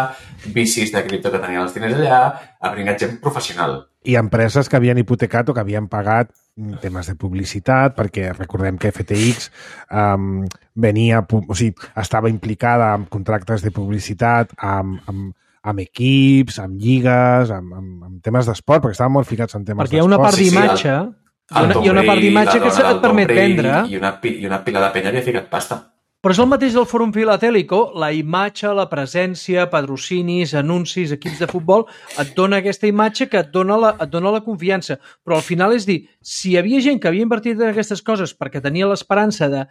V Cs de cripto que tenien els diners allà, ha bringat gent professional. I empreses que havien hipotecat o que havien pagat temes de publicitat, perquè recordem que F T X um, venia, o sigui, estava implicada en contractes de publicitat amb, amb, amb equips, amb lligues, amb, amb, amb temes d'esport, perquè estaven molt ficats en temes d'esport. Perquè hi ha una part d'imatge... Sí, sí, Hi ha, una, hi ha una part d'imatge que et permet vendre. I una, I una pila de penya havia ficat pasta. Però és el mateix del Fòrum Filatèlico, la imatge, la presència, patrocinis, anuncis, equips de futbol, et dona aquesta imatge que et dona la, et dona la confiança. Però al final és dir, si hi havia gent que havia invertit en aquestes coses perquè tenia l'esperança de,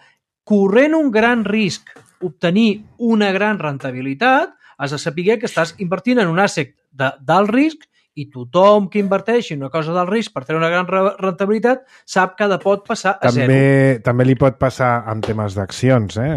corrent un gran risc, obtenir una gran rentabilitat, has de saber que estàs invertint en un asset d'alt risc i tothom que inverteixi una cosa del risc per tenir una gran rentabilitat sap que pot passar a també, zero. També li pot passar amb temes d'accions, eh?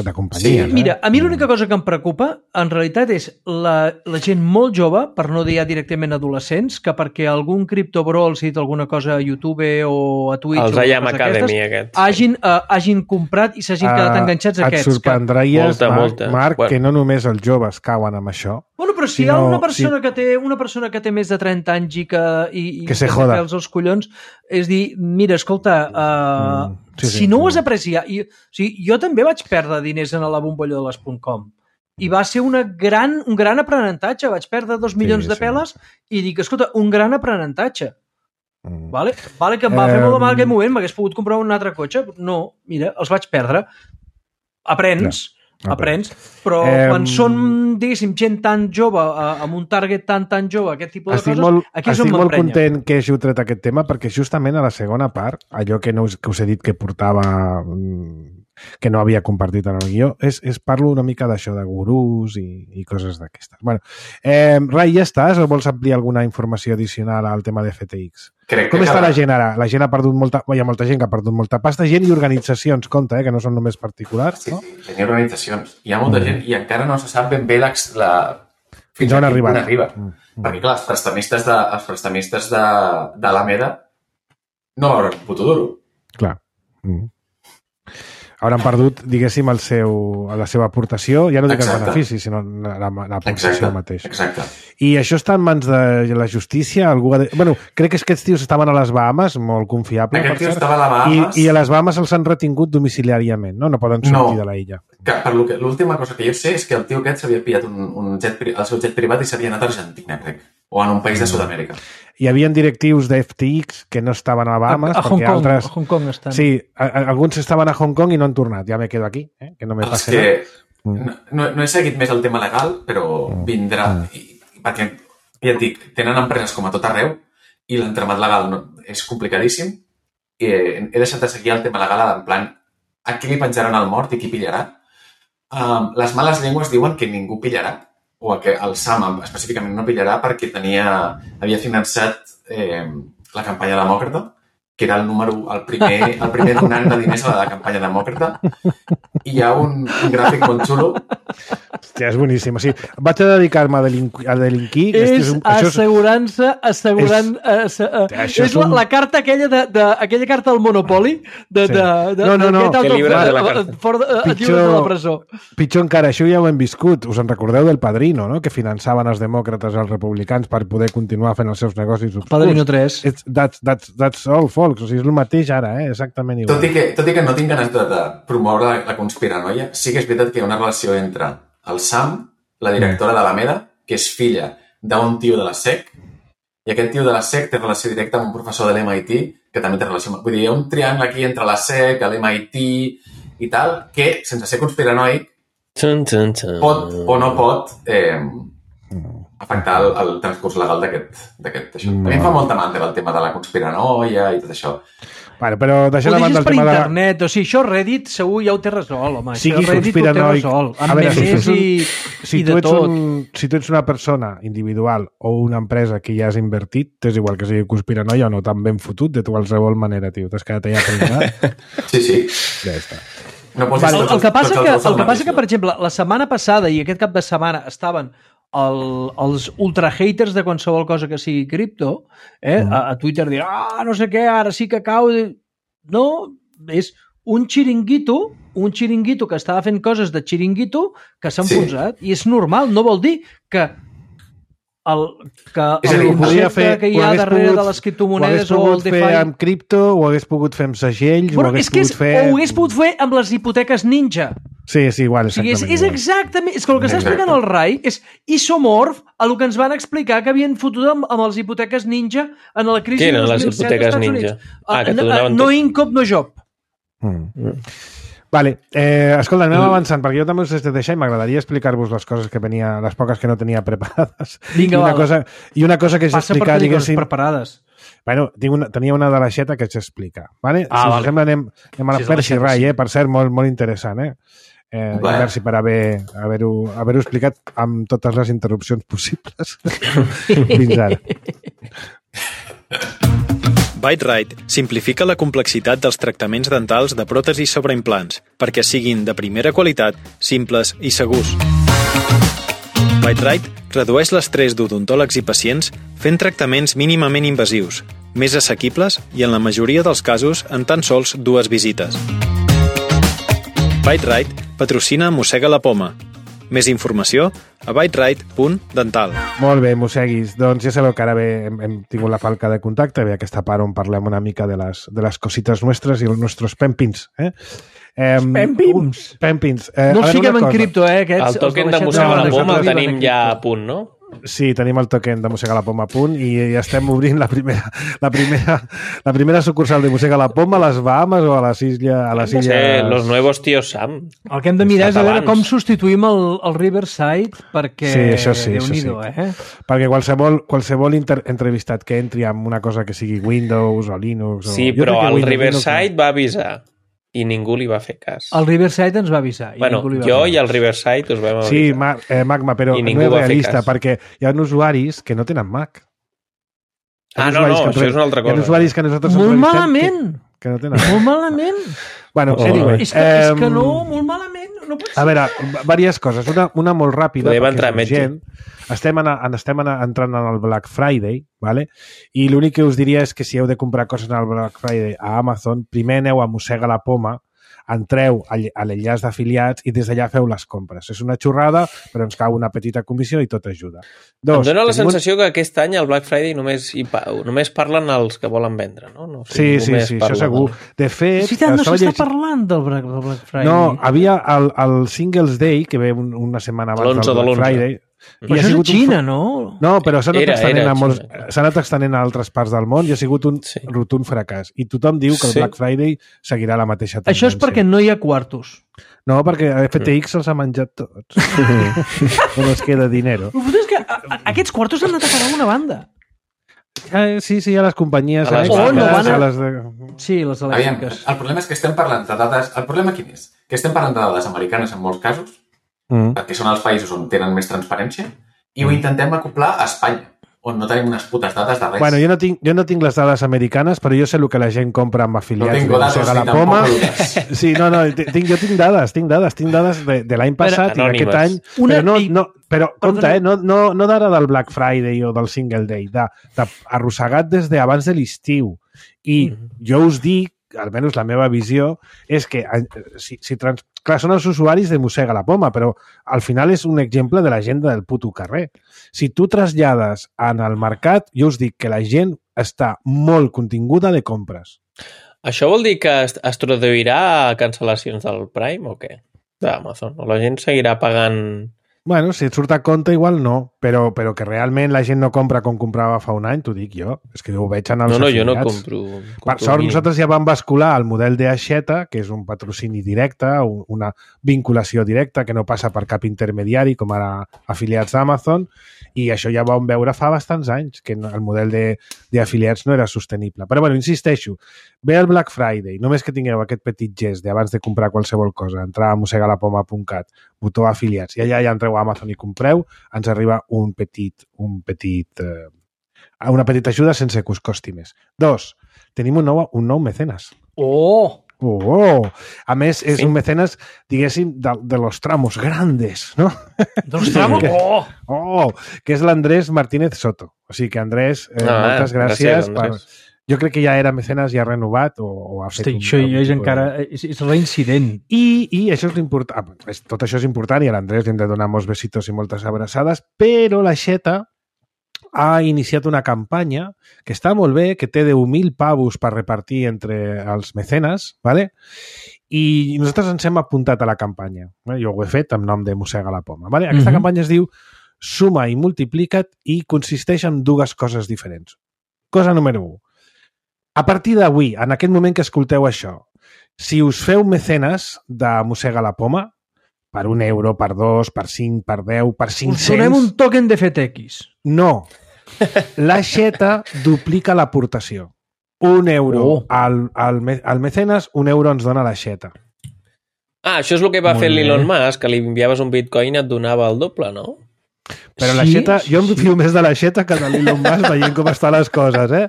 de companyies. Sí, mira, a mi l'única cosa que em preocupa en realitat és la, la gent molt jove, per no dir ja directament adolescents, que perquè algun criptobro els ha dit alguna cosa a YouTube o a Twitch els o I A M Academy aquests, hagin, uh, hagin comprat i s'hagin quedat uh, enganxats a aquests. Et sorprendries, que... Marc, molta, molta. Marc bueno. que no només els joves cauen amb això. Bueno, però si hi ha una persona sí. que té una persona que té més de trenta anys i que, i, i que se joda els collons, és dir, mira, escolta, uh, mm, sí, si sí, no sí. ho has apreciat... I, o sigui, jo també vaig perdre diners en la bombolla de les .com i va ser una gran, un gran aprenentatge. Vaig perdre dos milions sí, de peles sí. i dic, escolta, un gran aprenentatge. Mm. Vale? Vale que em va eh, fer molt de mal aquell moment, m'hagués pogut comprar un altre cotxe. No, mira, els vaig perdre. Aprens... Ja. aprens, però eh, quan són, diguéssim, gent tan jove, amb un target tan, tan jove, aquest tipus de estic coses, molt, aquí és on m'emprenya. Estic molt content que hàgiu tret aquest tema, perquè justament a la segona part, allò que, no us, que us he dit que portava, que no havia compartit en el guió, és, és parlo una mica d'això, de gurús i, i coses d'aquestes. Bueno, eh, Rai, ja estàs? O vols ampliar alguna informació addicional al tema de F T X? Crec Com que està cada... la gent ara? La gent ha perdut molta... Hi ha molta gent que ha perdut molta pasta, gent i organitzacions, compte, eh, que no són només particulars. Sí, no? sí, gent i organitzacions. Hi ha molta mm. gent i encara no se sap ben bé la... la... fins on arriba. arriba. Mm. Perquè, clar, els prestamistes de, els prestamistes de, de l'Alameda no hauran un puto duro. Clar. Mm. Hauran perdut, diguéssim, el seu, la seva aportació, ja no dic els beneficis, sinó l'aportació mateixa. Exacte. I això està en mans de la justícia? Algú ha de... bueno, crec que aquests tios estaven a les Bahamas, molt confiable. Aquest tio estava a les Bahamas. I, I a les Bahamas els han retingut domiciliàriament, no? No poden sortir no. de la illa. Que, per lo que, l'última cosa que jo sé és que el tio aquest s'havia pillat un, un jet, el seu jet privat i s'havia anat a Argentina, crec. O en un país de Sud-amèrica. Hi havia directius de F T X que no estaven a Bahamas. A, a Hong Kong, altres... a Hong Kong estan. Sí, a, a, alguns estaven a Hong Kong i no han tornat. Ja me quedo aquí, eh? Que no me passi que... no, no, no he seguit més el tema legal, però mm. vindrà. Mm. I, perquè, ja et dic, tenen empreses com a tot arreu i l'entramat legal no, és complicadíssim. I he, he deixat de seguir el tema legal en plan a qui li penjaran el mort i qui pillarà. Um, les males llengües diuen que ningú pillarà, o que el Sam específicament no pillarà perquè tenia, havia finançat eh, la campanya demòcrata, que era el número, el primer, el primer donant de diners a la campanya demòcrata, i hi ha un, un gràfic molt xulo. Hòstia, és boníssim. O sigui, vaig a dedicar-me a, delinqui, a delinquir. És, és un, assegurança, assegurant... És, uh, és, és la, un... la carta aquella de, de, aquella carta del Monopoli de, sí. de, de, no, no, no. Que llibres de la carta. Fora de, pitjor, de la presó. Pitjor encara, això ja ho hem viscut. Us en recordeu del Padrino, no? Que finançaven els demòcrates els republicans per poder continuar fent els seus negocis obscurs. Padrino tres. It's, that's, that's, that's all, folks. O sigui, és el mateix ara, eh? Exactament igual. Tot i que, tot i que no tinc ganes de, de promoure la, la conspiranoia, sí que és veritat que hi ha una relació entre el Sam, la directora de l'Alameda, que és filla d'un tio de la S E C, i aquest tio de la S E C té relació directa amb un professor de l'M I T, que també té relació amb... Vull dir, hi ha un triangle aquí entre la S E C, l'M I T i tal, que, sense ser conspiranoic, Tun, tun, tun. pot o no pot eh, afectar el, el transcurs legal d'aquest això. A mi em fa molta mandra el tema de la conspiranoia i tot això. Vale, però deixant ho a banda el per tema internet, de... o sigui, això Reddit segur ja ho té resolt, home. Sigui això Reddit ho té resolt, amb veure, memes si i, si i de tot. Un, si tu ets una persona individual o una empresa que ja has invertit, t'és igual que sigui conspiranoia o no, tan ben fotut de qualsevol manera, tio. T'has quedat allà pringat. Sí, sí. Ja està. No posis Vale, tots, el que passa tots que, els dos el al que passa mateix que, per lloc. exemple, la setmana passada i aquest cap de setmana estaven el, els ultra haters de qualsevol cosa que sigui cripto, eh? Mm. a, a Twitter dir, ah, no sé què, ara sí que cau. No, és un xiringuito, un xiringuito que estava fent coses de xiringuito que s'ha Sí. enfonsat. I és normal, no vol dir que el, que És a el dir, podria concepte fer- que hi ho ha hagués darrere pogut- de les Ho hagués criptomonedes o el pogut fer DeFi... amb cripto, ho hagués pogut fer amb segells, ho Bueno, hagués és que és, pogut fer... ho hagués pogut fer amb les hipoteques ninja. Sí, sí, igual, O sigui, és, exactament. és igual. exactament... És que el que està Exacte. explicant el Rai és isomorf a el que ens van explicar que havien fotut amb, amb les hipoteques ninja en la crisi Què de eren dos les mil set hipoteques als Estats ninja? Units. Ah, que no, t'ho donaven no tot. income, no job. Mm. Vale, eh, escolta, anem avançant, perquè jo també us he de deixar i m'agradaria explicar-vos les coses que venia, les poques que no tenia preparades. Vinga, I una va. cosa, I una cosa que és Passa per explicar, tenir coses diguéssim... preparades. Bueno, tinc una, tenia una de l'aixeta que s'explica. Vale? Ah, si us vale. sembla, anem, anem a la Si és de Percy l'aixeta, Rai, sí. eh? Per cert, molt, molt interessant, eh? Eh, Vale. i merci per haver- haver-ho haver explicat amb totes les interrupcions possibles fins ara. BiteRite simplifica la complexitat dels tractaments dentals de pròtesis sobre implants perquè siguin de primera qualitat, simples i segurs. BiteRite redueix l'estrès d'odontòlegs i pacients fent tractaments mínimament invasius, més assequibles i en la majoria dels casos en tan sols dues visites. BiteRite patrocina Mossega la Poma. Més informació a biterite punt dental. Molt bé, mosseguis. Doncs ja sabeu que ara bé hem, hem tingut la falca de contacte, ve aquesta part on parlem una mica de les, de les cosites nostres i els nostres pempins. Eh? Eh, Pempins? Pempins. Eh, No a els veure, fiquem una en cosa. cripto, eh? Aquests, El token de l'aixeta Mossega la no, Poma el no tenim viuen en ja a cripto. punt, no? Sí, tenim el token de Mossega la Poma a punt i, i estem obrint la primera, la primera, la primera sucursal de Mossega la Poma a les Bahamas o a les illes... A les No sé, illes... los nuevos tíos Sam. El que hem de mirar és a veure Catalans. com substituïm el, el Riverside perquè... Sí, això sí, això Déu-n'hi-do, sí. eh? Perquè qualsevol, qualsevol inter entrevistat que entri amb una cosa que sigui Windows o Linux... O... Sí, jo però crec que el Windows, Riverside Linux, va avisar i ningú li va fer cas. El Riverside ens va avisar. I Bueno, ningú li va jo fer. i el Riverside us vam avisar. Sí, ma eh, Magma, però I no ningú és va fer realista, cas. perquè hi ha usuaris que no tenen Mac. Hi ha Ah, no, usuaris no, que això és una altra Hi ha cosa. usuaris que nosaltres Molt entrevistem malament! Que, que no tenen. Molt malament! Bueno, Oh. anyway, És que, és que em, no, molt malament. No pot ser. A veure, diverses coses. Una, una molt ràpida, Podem perquè entrar és a metge. urgent. Estem, en, en, estem en, entrant en el Black Friday, vale? I l'únic que us diria és que si heu de comprar coses en el Black Friday a Amazon, primer aneu a Mossega la Poma, entreu a ll- a l'enllaç d'afiliats i des d'allà feu les compres. És una xorrada, però ens cau una petita comissió i tot ajuda. Em dóna la tenim un- sensació que aquest any al Black Friday només, hi pa només parlen els que volen vendre, no? no sé, Sí, ningú sí, més sí, parla això segur. de- De fet, És veritat, no estava s'està llegint- parlant del Black, del Black Friday. No, havia el, el Singles Day, que ve un, una setmana abans l'onze del de Black l'onze. Friday. Però i ha això és a sigut un Xina, fra- no? No, però s'ha anat Era- extenent, era a molts, Xina. s'ha anat extenent a altres parts del món i ha sigut un Sí. rotund fracàs. I tothom diu que el Sí. Black Friday seguirà la mateixa tendència. Això és perquè no hi ha quartos. No, perquè F T X se'ls ha menjat tots. No ens queda dinero. El fot és que a, a, aquests quartos han anat a parar a una banda. Eh, sí, sí, a les companyies A les elèctriques, Oh, no van a- a les de... Sí, les Aviam, elèctriques. el problema és que estem parlant de dades... El problema quin és? Que estem parlant de dades americanes en molts casos, Mm. perquè són els països on tenen més transparència, i ho intentem acoplar a Espanya, on no tenim unes putes dades de res. Bueno, jo no, tinc, jo no tinc les dades americanes, però jo sé el que la gent compra amb no afiliats tinc de datos Mossega ni la tampoc Poma. dudes. Sí, no, no, tinc, jo tinc dades, tinc dades, tinc dades de, de l'any passat i d'aquest any. anònimes. Una- Però, no, i- no, però compte, Perdona. eh, no, no, no d'ara del Black Friday o del Single Day, de, de arrossegat des d'abans de l'estiu. I Mhm. jo us dic, almenys la meva visió, és que eh, si, si trans... clar, són els usuaris de Mossega la Poma, però al final és un exemple de la gent del puto carrer. Si tu trasllades en el mercat, jo us dic que la gent està molt continguda de compres. Això vol dir que es, es traduirà a cancel·lacions del Prime o què? D'Amazon. O la gent seguirà pagant... Bueno, si et surt a compte, igual no, però, però que realment la gent no compra com comprava fa un any, t'ho dic jo. És que ho veig en els No, no, jo no afiliats. compro... Per compro sort, mínim. nosaltres ja vam bascular al model de Aixeta, que és un patrocini directe, un- una vinculació directa que no passa per cap intermediari, com ara afiliats d'Amazon, i això ja vam veure fa bastants anys, que no- el model de- d'afiliats no era sostenible. Però, bueno, insisteixo, ve el Black Friday, només que tingueu aquest petit gest d'abans de comprar qualsevol cosa, entrar a mossegalapoma punt cat, botó afiliats, i allà ja entreu a Amazon i compreu, ens arriba un petit, un petit, eh, una petita ajuda sense que us costi més. Dos, tenim un nou, un nou mecenes. Oh! Oh! A més, és sí. un mecenes, diguéssim, de, de los tramos grandes, no? De los tramos? Oh! Oh! Que és l'Andrés Martínez Soto. O sigui que, Andrés, eh, ah, moltes gràcies. gràcies per... Jo crec que ja era mecenes, ja ha renovat o, o ha fet... Hosti, un, això ja és encara... És, és reincident. I, I això és important. Tot això és important i a l'Andrés li hem de donar molts besitos i moltes abraçades, però la Xeta ha iniciat una campanya que està molt bé, que té deu mil pavos per repartir entre els mecenes, ¿vale? I nosaltres ens hem apuntat a la campanya. Jo ho he fet en nom de Mossega la Poma. ¿Vale? Aquesta mm-hmm. campanya es diu Suma i multiplica't i consisteix en dues coses diferents. Cosa número u. A partir d'avui, en aquest moment que escolteu això, si us feu mecenes de Mossega la Poma, per un euro, per dos, per cinc, per deu, per cinc-cents... Us donem un token de F T X. No. La Xeta duplica l'aportació. Un euro oh. al, al, al mecenes, un euro ens dona la Xeta. Ah, això és el que va Molt fer l'Elon Musk, que li enviaves un bitcoin i et donava el doble, no? Però la Xeta, sí, jo em fio sí. més de la Xeta que de l'Elon Musk veient com estan les coses, eh?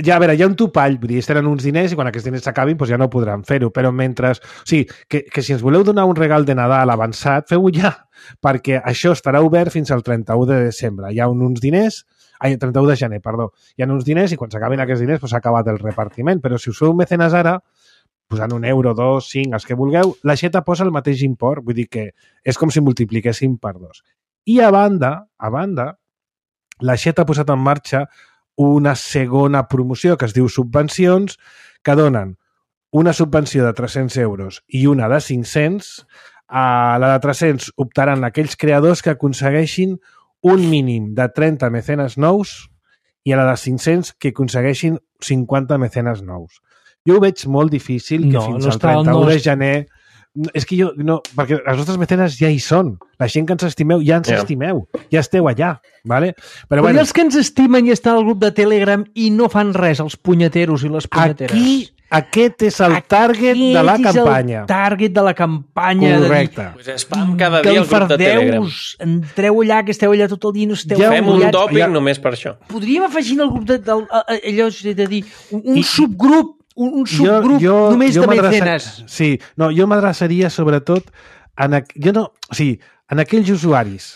Ja, a veure, hi ha un topall, vull dir, ells tenen uns diners i quan aquests diners s'acabin doncs ja no podran fer-ho, però mentre... O sigui, que, que si ens voleu donar un regal de Nadal avançat, feu-ho ja, perquè això estarà obert fins al trenta-u de desembre. Hi ha uns diners... Ai, trenta-u de gener, perdó. Hi ha uns diners i quan s'acabin aquests diners doncs s'ha acabat el repartiment, però si us feu mecenes ara, posant un euro, dos, cinc, els que vulgueu, la Xeta posa el mateix import, vull dir que és com si multipliquéssim per dos. I a banda, a banda, la Xeta ha posat en marxa una segona promoció que es diu subvencions, que donen una subvenció de tres-cents euros i una de cinc-cents. A la de tres-cents optaran aquells creadors que aconsegueixin un mínim de trenta mecenes nous i a la de cinc-cents que aconsegueixin cinquanta mecenes nous. Jo ho veig molt difícil que no, fins al trenta-u de gener... És que jo, no, perquè els nostres mecenes ja hi són. La gent que ens estimeu, ja ens yeah. estimeu. Ja esteu allà, ¿vale? Però, Però bueno, els que ens estimen i estan al grup de Telegram i no fan res, els punyeteros i les punyeteres. Aquí, aquest és el target aquest de la campanya. Aquest és el target de la campanya. Correcte. Pues spam cada dia al grup de Telegram. Entreu allà, que esteu allà tot el dia i no esteu... Ja Fem un tòpic ja... només per això. Podríem afegir al grup de... Del, allò, de dir, un, un I... subgrup un, un subgrup jo, jo, només jo de mecenes. Sí, no, jo m'adreçaria sobretot en, jo no, o sigui, en aquells usuaris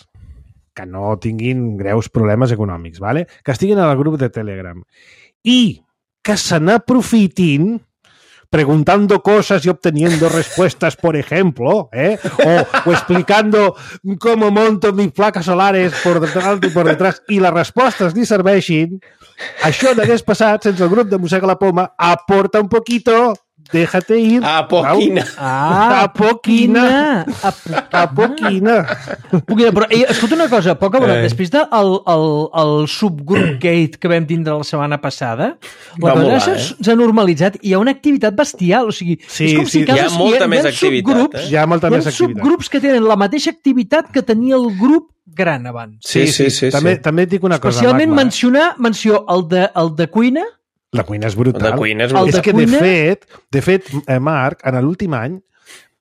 que no tinguin greus problemes econòmics, ¿vale? Que estiguin al grup de Telegram i que se n'aprofitin preguntando cosas y obteniendo respuestas, por ejemplo, ¿eh? o, o explicando cómo monto mis placas solares por detrás y por detrás, i les respostes li serveixin, això n'hagués passat sense el grup de Mossega la Poma. Aporta un poquito, déjate ir. A poquina. Ah, a poquina. A, a poquina. Poquina. Però, eh, escolta una cosa, poca broma, eh. després del el, el, el subgroup gate que vam tindre la setmana passada, la cosa s'ha eh? normalitzat i hi ha una activitat bestial, o sigui, sí, és com sí, si hi ha molta hi ha, més hi ha activitat. Eh? Hi ha molta hi ha més activitat. subgrups que tenen la mateixa activitat que tenia el grup gran abans. Sí, sí, sí. sí, sí. També, sí. també et dic una cosa, especialment Magma. mencionar, menció el de, el de cuina. La cuina és brutal. La cuina és brutal. És que, de fet, de fet, eh, Marc, en l'últim any...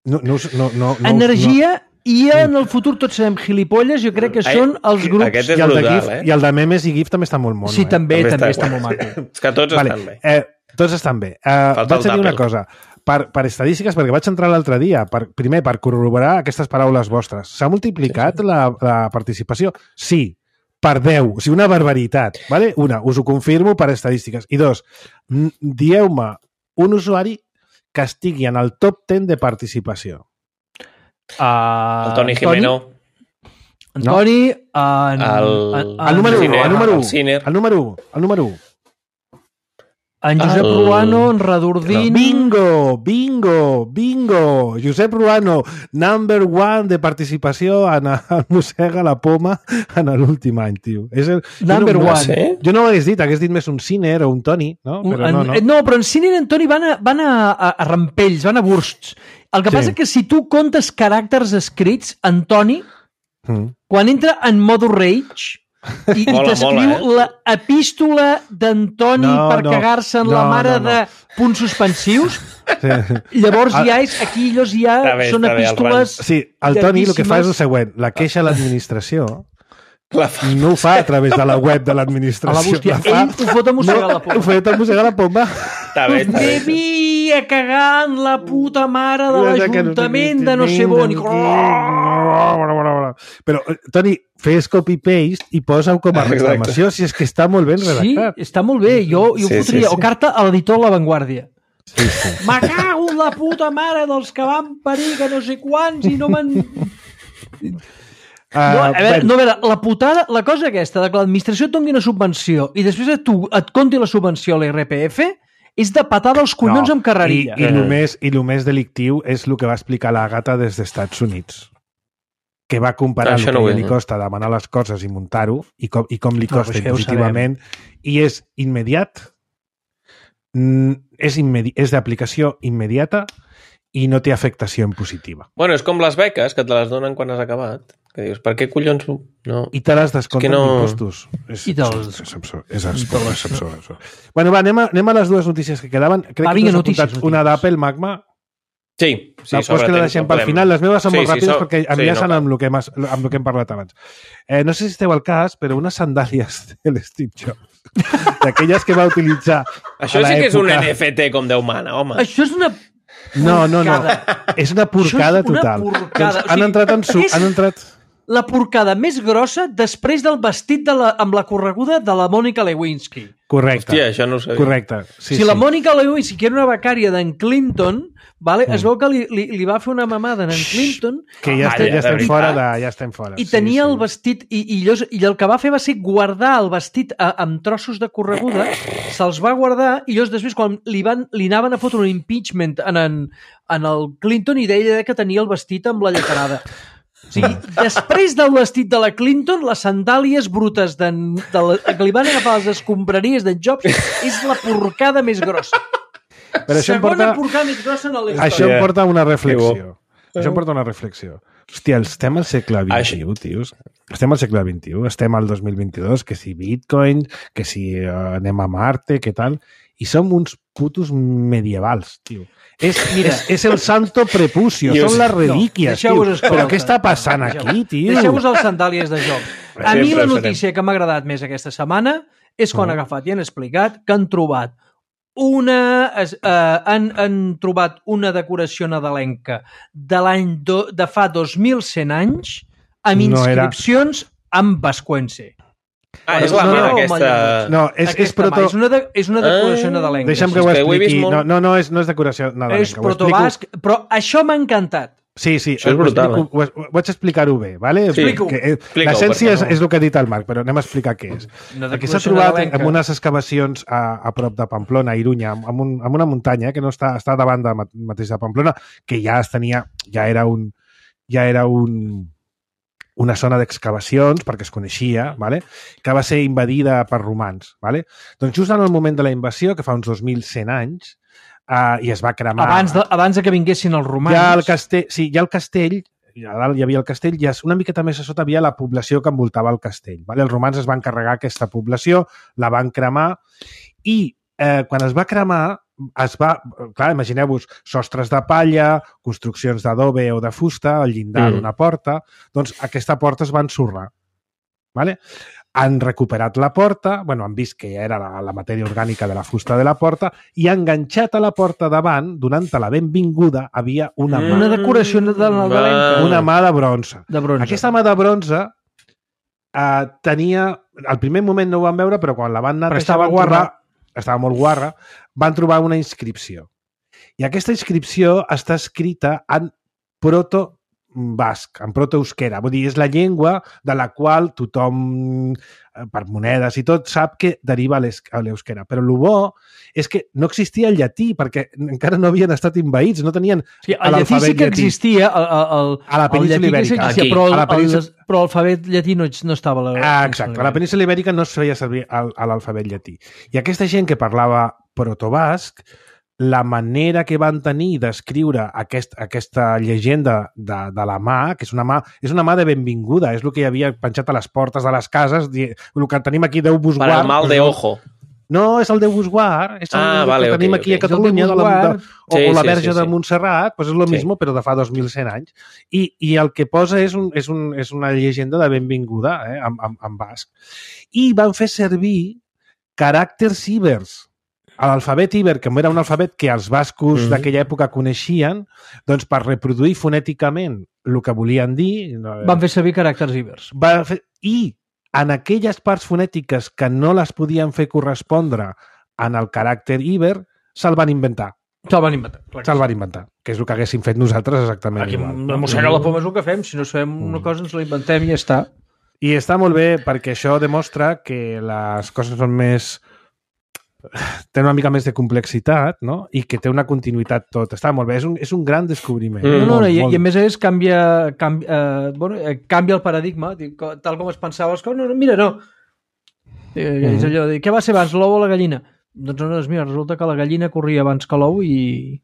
No, no, no, no, Energia no. i en el futur tots serem gilipolles, jo crec que Ai, són els grups... Aquest és I el, brutal, de GIF, eh? I el de memes i GIF també està molt mono. Sí, eh? també, també, també està, està molt maco. És que tots vale. estan bé. Eh, tots estan bé. Eh, vaig dir una cosa. Per, per estadístiques, perquè vaig entrar l'altre dia, per, primer, per corroborar aquestes paraules vostres. S'ha multiplicat sí, sí. La, la participació? Sí. Per deu, o sigui, una barbaritat. Vale? Una, us ho confirmo per estadístiques. I dos, dieu-me un usuari que estigui en el top deu de participació. Uh, el Toni Jimeno. Antoni... Uh, el, el, el número u, el número u. El, el número u, el número u. En Josep el... Ruano, en Radordín... Bingo, bingo, bingo! Josep Ruano, number one de participació en el Mossega la Poma en l'últim any, tio. És el... Number jo no, one. No, jo no ho hagués dit, hagués dit més un Ciner o un Toni, no? Però en, no, no. no, però en Ciner i en Toni van a, van a, a, a rampells, van a bursts. El que sí. passa que si tu comptes caràcters escrits, en Toni, mm. quan entra en modo rage... I, i t'escriu eh? l'epístola d'Antoni no, per no, cagar-se en no, la mare no, no. de punts suspensius. Sí. Llavors ja és, aquí ells ja bé, són epístoles... Sí, el Toni el que fa és el següent, la queixa a l'administració no ho fa a través de la web de l'administració. A la bústia. Ell ho fot a Mossega la Poma. Ho fot a Mossega la Poma. Està bé, està bé. Devia cagar en la puta mare de l'Ajuntament de no sé on. Però, Toni, fes copy-paste i posa-ho com a reclamació, si és que està molt ben redactat. Sí, està molt bé. Jo, jo Sí, fotria, sí, sí. o carta a l'editor La Vanguardia. Sí, sí. Me cago en la puta mare dels que van parir que no sé quants i no m'han... Uh, No, a veure, bueno, no, a veure, la putada, la cosa aquesta de que l'administració et doni una subvenció i després a tu et conti la subvenció a l'I R P F és de patada als collons no, amb carrerilla. I, i, el més, I el més delictiu és el que va explicar l'Àgata des dels Estats Units, que va comparar Això el que no ho li he, costa demanar les coses i muntar-ho i com, i com li No, costa però això ja ho impositivament, i és immediat, mm, és, immedi és d'aplicació immediata i no té afectació en positiva. Bueno, és com les beques, que te les donen quan has acabat. Que dius, per què collons no? I te les descompten no... d'impostos. És, I te'ls- és, és absurd. És absurd, és absurd, és absurd. Bueno, va, anem a, anem a les dues notícies que quedaven. Crec Va, que vinga, tu has notícies, apuntat una notícies. d'Apple, Magma. Sí, sí, Sí, Vols que la deixem pel final? Les meves són Sí, molt sí, ràpides so- perquè sí, enllaçen no amb, el que hem, amb el que hem parlat abans. Eh, no sé si esteu al cas, però unes sandàlies de l'Steve Jobs, d'aquelles que va utilitzar Això a sí que és un l'època- N F T com Déu mana, home. Això és una... No, no, no. És una porcada Això és una total. porcada. Doncs O han sigui, entrat en su... és- Han entrat... La porcada més grossa després del vestit de la, amb la correguda de la Mònica Lewinsky. Correcte. Hòstia, això no ho sabia. Correcte. Sí, Sí, si sí. la Mònica Lewinsky, que era una becària d'en Clinton, vale, mm. es veu que li, li, li va fer una mamada a en Clinton Que ja, Ah, estem, ja, ja, estem de fora veritat. de, ja estem fora. i tenia el vestit i, i, llavors, i el que va fer va ser guardar el vestit a, amb trossos de correguda, se'ls va guardar i llavors després quan li, van, li anaven a fotre un impeachment en, en, en el Clinton i deia que tenia el vestit amb la lletarada. O sigui, després del vestit de la Clinton, les sandàlies brutes de, de la, que li van agafar les escombraries d'en Jobs és la porcada més grossa. Però això em Segona porta, porcada més grossa en la història. això em Yeah. porta a una reflexió. Que bo. Això em porta a una reflexió. Hòstia, estem al segle vint-i-u, tios. Estem al segle vint-i-u, estem al dos mil vint-i-dos, que si Bitcoin, que si uh, anem a Marte, que tal... I som uns putos medievals, tio. És, Mira, és, és el santo prepucio, Dios. són les relíquies, No, tio. escolta. Però què està passant aquí, tio? Deixeu-vos les sandàlies de joc. A Sempre mi la ho notícia que m'ha agradat més aquesta setmana és quan Mm. han agafat i han explicat que han trobat una, es, uh, han, han trobat una decoració nadalenca de l'any do, de fa dos mil cent anys amb No era- inscripcions amb vascuence. Ah, és la No, mà no, aquesta... No, és, és Aquesta mà, proto... és, una de, és una decoració Ah. nadalenca. Deixa'm sí, que ho és que ho he vist expliqui. molt. No, no, no, és, no és decoració nadalenca. és ho explico- protobasc, però això m'ha encantat. Sí, sí, Això és ho brutal, explico- ho, ho vaig explicar-ho bé, vale? Sí. Explica-ho. Que, eh, Explica-ho, L'essència és, perquè no- és el que ha dit el Marc, però anem a explicar què és. Una Aquí s'ha decoració trobat nadalenca. amb unes excavacions a, a prop de Pamplona, a Irunya, amb, un, amb una muntanya que no està, està davant de mat- mateix de Pamplona, que ja es tenia, ja era un, ja era un, una zona d'excavacions, perquè es coneixia, vale? Que va ser invadida per romans. Vale? Doncs just en el moment de la invasió, que fa uns dos mil cent anys, uh, i es va cremar... Abans de, abans de que vinguessin els romans. Ja el castell, sí, ja el castell, a dalt hi havia el castell, i una miqueta més a sota havia la població que envoltava el castell. Vale? Els romans es van carregar aquesta població, la van cremar, i eh, quan es va cremar, es va, clar, imagineu-vos, sostres de palla, construccions d'adobe o de fusta, el llindar Mm. d'una porta, doncs aquesta porta es va ensorrar. Vale? Han recuperat la porta, bueno, han vist que ja era la, la matèria orgànica de la fusta de la porta, i enganxat a la porta davant, donant-te la benvinguda, havia una mà. Una decoració de nadalenca. Una mà de bronze. De bronze. Aquesta mà de bronze eh, tenia... Al primer moment no ho van veure, però quan la van netejar... Però estava van guarra. trobar- Estava molt guarra. Van trobar una inscripció. I aquesta inscripció està escrita en proto-basc, en proto-euskera. Vull dir, és la llengua de la qual tothom, eh, per monedes i tot, sap que deriva a l'es- a l'euskera. Però el bo és que no existia el llatí, perquè encara no havien estat invaïts, no tenien Sí, el llatí sí l'alfabet que llatí. existia, el, el, A la el península llatí que sí ibèrica. existia, Aquí. però, el, A la península- el, però l'alfabet llatí no, no estava a la Ah, exacte. A la península ibèrica no es feia servir el- a l'alfabet llatí. I aquesta gent que parlava protobasc, la manera que van tenir d'escriure aquest, aquesta llegenda de, de la mà, que és una mà, és una mà de benvinguda, és el que hi havia penjat a les portes de les cases, di- el que tenim aquí Déu vos Per guard. el mal de ojo. No, és el Déu vos guard, és el, Ah, el vale, que ok, tenim ok. aquí a És el Catalunya, Déu de vos la, de, guard. o, Sí, o la sí, Verge sí, de sí. Montserrat, doncs és el Sí. mismo, però de fa dos mil cent anys. I, i el que posa és, un, és, un, és una llegenda de benvinguda, eh, en, en, en basc. I van fer servir caràcters ibers. l'alfabet Iber, que era un alfabet que els bascos Mhm. d'aquella època coneixien, doncs per reproduir fonèticament el que volien dir... Van fer servir caràcters ibers. Va fer... I en aquelles parts fonètiques que no les podien fer correspondre en el caràcter Iber, se'l van inventar. Se'l van inventar. clar que Se'l sí. van inventar, que és el que haguéssim fet nosaltres exactament Aquí igual. la mossega la poma és el que fem. Si no sabem una cosa, ens la inventem i ja està. I està molt bé perquè això demostra que les coses són més... tenen una mica més de complexitat, no? I que té una continuïtat tot. Està molt bé, és un, és un gran descobriment. Mm. No, no, Molt, no, i, molt. i a més a més canvia, canvia, eh, bueno, eh, canvia el paradigma, dic, co- tal com es pensava les coses. No, no, mira, no. Eh, és allò de, què va ser abans, l'ou o la gallina? Doncs no, doncs mira, resulta que la gallina corria abans que l'ou i,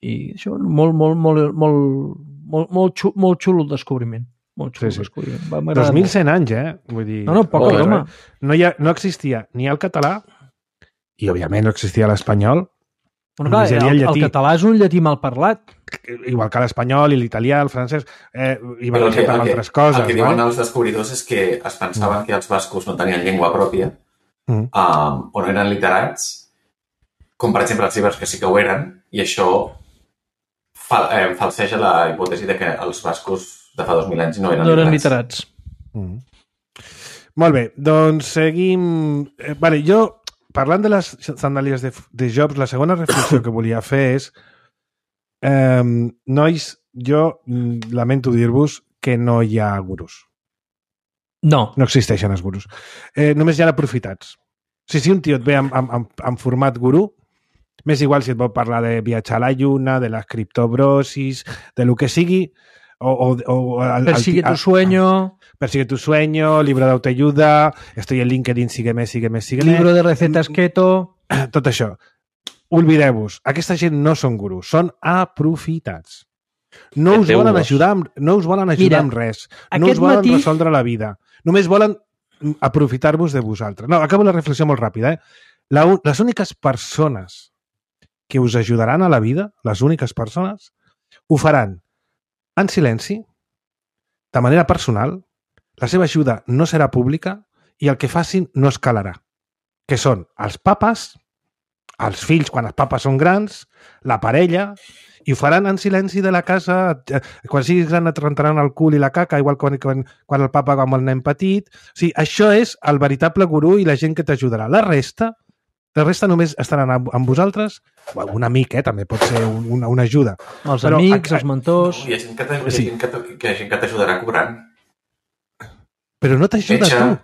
i això, molt, molt, molt, molt, molt, molt, xulo, molt xulo el descobriment. Molt xulo Sí, sí. el descobriment. Va, m'agrada dos mil molt. cent anys, eh? Vull dir... No, no, poca Joder, broma. eh? No, hi ha, no existia ni el català i, òbviament, no existia l'espanyol, Bueno, clar, només hi havia el, el el llatí. català és un llatí mal parlat. igual que l'espanyol i l'italià, el francès, eh, i Però el que, barrejat amb el, que, altres coses. el que diuen vale? els descobridors és que es pensaven que els bascos no tenien llengua pròpia Mm. um, o no eren literats, com per exemple els ibers que sí que ho eren, i això fal, eh, falseja la hipòtesi de que els bascos de fa dos mil anys no eren No eren literats. literats. Mm. Molt bé, doncs seguim... Eh, vale, jo, parlant de les sandàlies de, de Jobs, la segona reflexió que volia fer és eh, nois, jo mm, lamento dir-vos que no hi ha gurus. No. No existeixen els gurus. Eh, només hi ha aprofitats. O sigui, si un tio et ve amb, amb, amb, amb format gurú, m'és igual si et vol parlar de viatjar a la lluna, de les criptobrosis, de lo que sigui, o... o, o el, Persigue el, tu sueño, Persigue tu sueño, libro de autoayuda, estoy en LinkedIn, sígueme, sígueme, sígueme. libro de recetas keto... Tot això. Oblideu-vos. Aquesta gent no són gurus, són aprofitats. No us volen Feteu-vos. ajudar, amb, no us volen ajudar Mira, amb res. No aquest us volen matí- resoldre la vida. Només volen aprofitar-vos de vosaltres. No, acabo la reflexió molt ràpida. Eh? La, u- les úniques persones que us ajudaran a la vida, les úniques persones, ho faran en silenci, de manera personal, la seva ajuda no serà pública i el que facin no escalarà. Que són els papes, els fills quan els papes són grans, la parella, i ho faran en silenci de la casa, eh, quan siguis gran et rentaran el cul i la caca, igual quan, quan, quan el papa va amb el nen petit. O sigui, això és el veritable gurú i la gent que t'ajudarà. La resta, la resta només estaran amb, amb vosaltres, o un amic, eh, també pot ser un, una, una ajuda. Els Però amics, a- els mentors... Hi ha gent que t'aj- hi ha Sí. gent que t- que hi ha gent que t'ajudarà cobrant. Però no t'ajuda Metge. tu.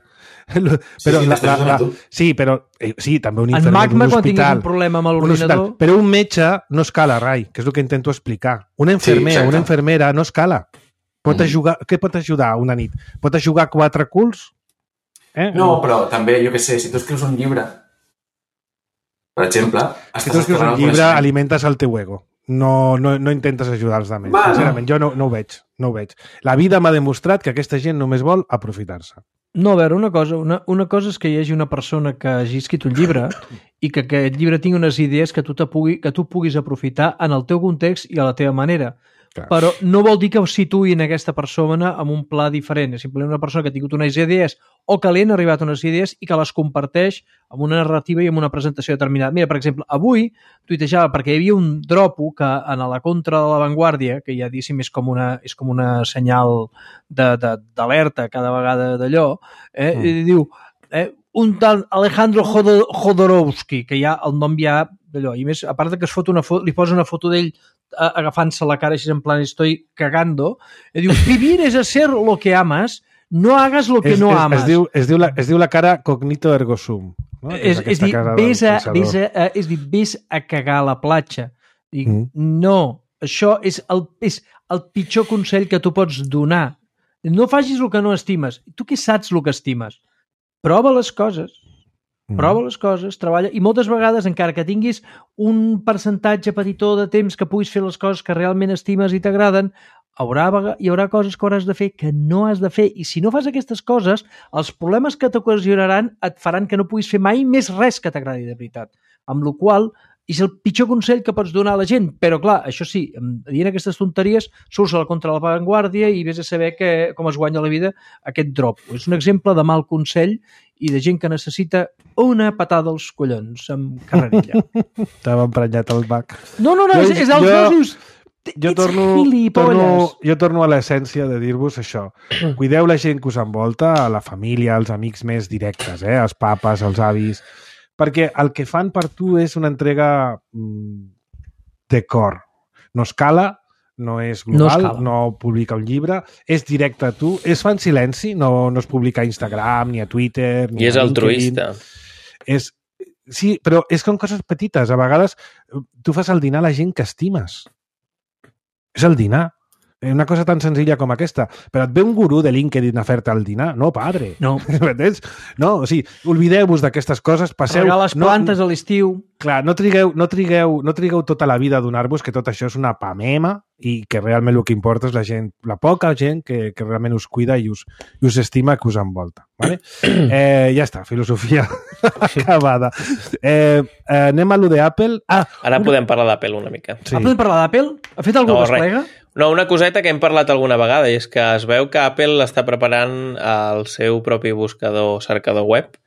Però, Sí, sí, la, t'estàs la, ajudant la, tu. sí, però eh, sí, també un En infermer Magma, d'un quan tinguis hospital. un problema amb Un hospital. l'ordinador... Però un metge no escala, Rai, que és el que intento explicar. Un infermer Sí, o exacte. una infermera no escala. Pot Mm. ajudar, què pot ajudar una nit? Pot ajudar quatre culs? Eh? No, però també, jo què sé, si tu escrius un llibre, per exemple, Si tu escrius un llibre, alimentes el teu ego. No, no, no intentes ajudar els altres. Bueno. Sincerament, jo no, no ho veig. No ho veig. La vida m'ha demostrat que aquesta gent només vol aprofitar-se. No, a veure, una cosa, una, una cosa és que hi hagi una persona que hagi escrit un llibre i que aquest llibre tingui unes idees que tu, te pugui, que tu puguis aprofitar en el teu context i a la teva manera. Clar. Però no vol dir que ho situïn aquesta persona amb un pla diferent. És simplement una persona que ha tingut unes idees o que li han arribat unes idees i que les comparteix amb una narrativa i amb una presentació determinada. Mira, per exemple, avui tuitejava perquè hi havia un dropo que en la contra de l'avantguàrdia, que ja diguéssim és com una, és com una senyal d'alerta cada vegada d'allò, eh, mm. i diu eh, un tal Alejandro Jodor Jodorowsky, que ja el nom ja d'allò, i més, a part de que es fot una foto, li posa una foto d'ell agafant-se la cara així en plan estoy cagando, i diu, vivir es hacer lo que amas, no hagas lo que es, no es, amas. Es diu, es, diu la, es diu la cara cognito ergo sum. No? És, és, dir, ves a, ves a, és dir, ves a cagar a la platja. Dic, mm. No, això és el, és el pitjor consell que tu pots donar. No facis el que no estimes. Tu què saps el que estimes? Prova les coses. Prova les coses, treballa, i moltes vegades, encara que tinguis un percentatge petitó de temps que puguis fer les coses que realment estimes i t'agraden, haurà, hi haurà coses que hauràs de fer que no has de fer, i si no fas aquestes coses, els problemes que t'ocasionaran et faran que no puguis fer mai més res que t'agradi de veritat. Amb la qual és el pitjor consell que pots donar a la gent, però clar, això sí, dient aquestes tonteries surts a la contra la vanguardia i vés a saber que, com es guanya la vida aquest drop. És un exemple de mal consell i de gent que necessita una patada als collons amb carrerilla. T'ava emprenyat el bac. No, no, no, jo, és, és els jo, dos, dius... Jo torno, torno, jo torno a l'essència de dir-vos això. Cuideu la gent que us envolta, a la família, als amics més directes, eh? Els papes, els avis, perquè el que fan per tu és una entrega de cor. No escala, no és global, no, no publica un llibre, és directe a tu, es fa en silenci, no, no es publica a Instagram, ni a Twitter, ni I és a altruista. És, sí, però és com coses petites. A vegades tu fas el dinar a la gent que estimes. És el dinar. Una cosa tan senzilla com aquesta. Però et ve un gurú de LinkedIn a fer-te el dinar. No, padre. No. No, o sigui, oblideu-vos d'aquestes coses. Passeu... Regar les plantes no, a l'estiu. Clar, no trigueu, no, trigueu, no trigueu tota la vida a donar-vos que tot això és una pamema i que realment el que importa és la gent, la poca gent que, que realment us cuida i us, i us estima que us envolta. Vale? Eh, ja està, filosofia acabada. Eh, eh, anem a lo d'Apple. Ah, Ara una... podem parlar d'Apple una mica. Sí. Ah, podem parlar d'Apple? Ha fet algú no, que es plega? No, una coseta que hem parlat alguna vegada i és que es veu que Apple està preparant el seu propi buscador cercador web,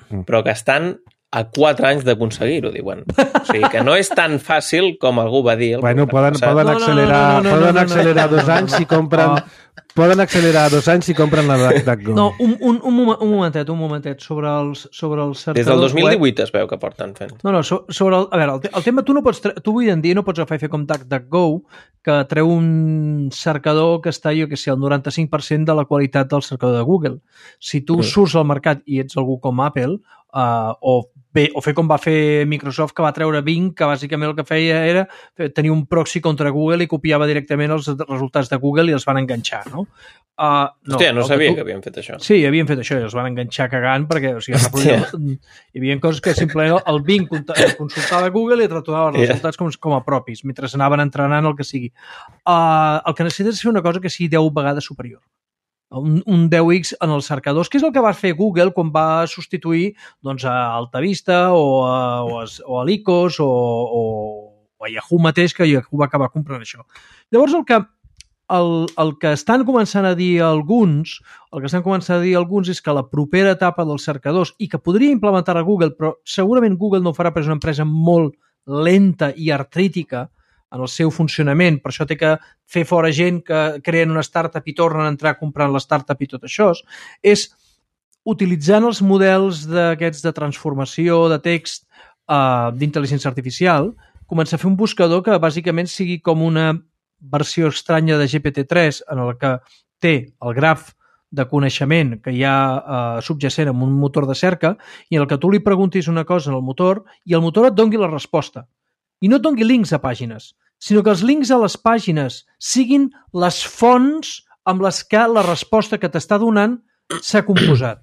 mm. però que estan a quatre anys d'aconseguir-ho, diuen. O sigui, que no és tan fàcil com algú va dir. Bueno, poden, poden accelerar, no, no, no, no, poden no, no, accelerar no, no, no, dos anys si compren... Oh. Poden accelerar dos anys si compren la DuckDuckGo. No, un, un, un, un momentet, un momentet, sobre els, sobre els cercadors. Des del dos mil divuit web. Es veu que porten fent. No, no, so, sobre el, a veure, el, el tema, tu no pots, tu avui en dia no pots agafar i fer com DuckDuckGo, que treu un cercador que està, jo que sé, el noranta-cinc per cent de la qualitat del cercador de Google. Si tu mm. surts al mercat i ets algú com Apple, uh, o bé, o fer com va fer Microsoft, que va treure Bing, que bàsicament el que feia era tenir un proxy contra Google i copiava directament els resultats de Google i els van enganxar, no? Uh, no Hòstia, no sabia que, tu... que havien fet això. Sí, havien fet això i els van enganxar cagant perquè, o sigui, hi havia coses que simplement el Bing consultava Google i et retornava els resultats com, com a propis, mentre anaven entrenant el que sigui. Uh, el que necessites és fer una cosa que sigui deu vegades superior. Un, un deu X en els cercadors, que és el que va fer Google quan va substituir doncs, a AltaVista o a, o a, o a l'Icos o, o, o a Yahoo mateix, que Yahoo va acabar comprant això. Llavors, el que, el, el que estan començant a dir alguns, el que estan començant a dir alguns és que la propera etapa dels cercadors, i que podria implementar a Google, però segurament Google no ho farà perquè és una empresa molt lenta i artrítica en el seu funcionament, per això té que fer fora gent que creen una startup i tornen a entrar comprant la startup i tot això, és utilitzant els models d'aquests de transformació de text uh, d'intel·ligència artificial, començar a fer un buscador que bàsicament sigui com una versió estranya de G P T tres en el que té el graf de coneixement que hi ha uh, subjacent en un motor de cerca i en el que tu li preguntis una cosa en el motor i el motor et doni la resposta. I no et doni links a pàgines, sinó que els links a les pàgines siguin les fonts amb les que la resposta que t'està donant s'ha composat.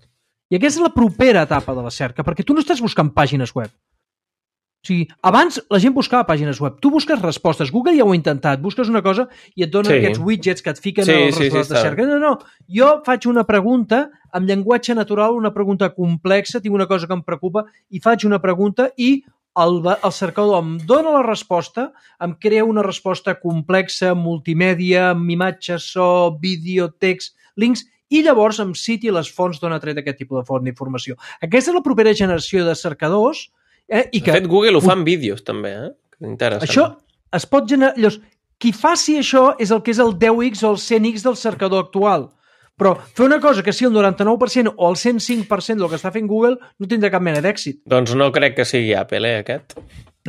I aquesta és la propera etapa de la cerca, perquè tu no estàs buscant pàgines web. O sigui, abans la gent buscava pàgines web. Tu busques respostes. Google ja ho ha intentat. Busques una cosa i et donen sí. aquests widgets que et fiquen sí, els sí, resultats sí, de cerca. No, no, jo faig una pregunta amb llenguatge natural, una pregunta complexa, tinc una cosa que em preocupa i faig una pregunta i El, el cercador em dona la resposta, em crea una resposta complexa, multimèdia, amb imatges, so, vídeo, text, links, i llavors em citi les fonts d'on ha tret aquest tipus de font d'informació. Aquesta és la propera generació de cercadors. Eh, i que, de fet, Google ho fa en vídeos, també. Eh? Interessant. Això es pot generar... Llavors, qui faci això és el que és el deu X o el cent X del cercador actual. Però fer una cosa que sigui el noranta-nou per cent o el cent cinc per cent del que està fent Google no tindrà cap mena d'èxit. Doncs no crec que sigui Apple, eh, aquest.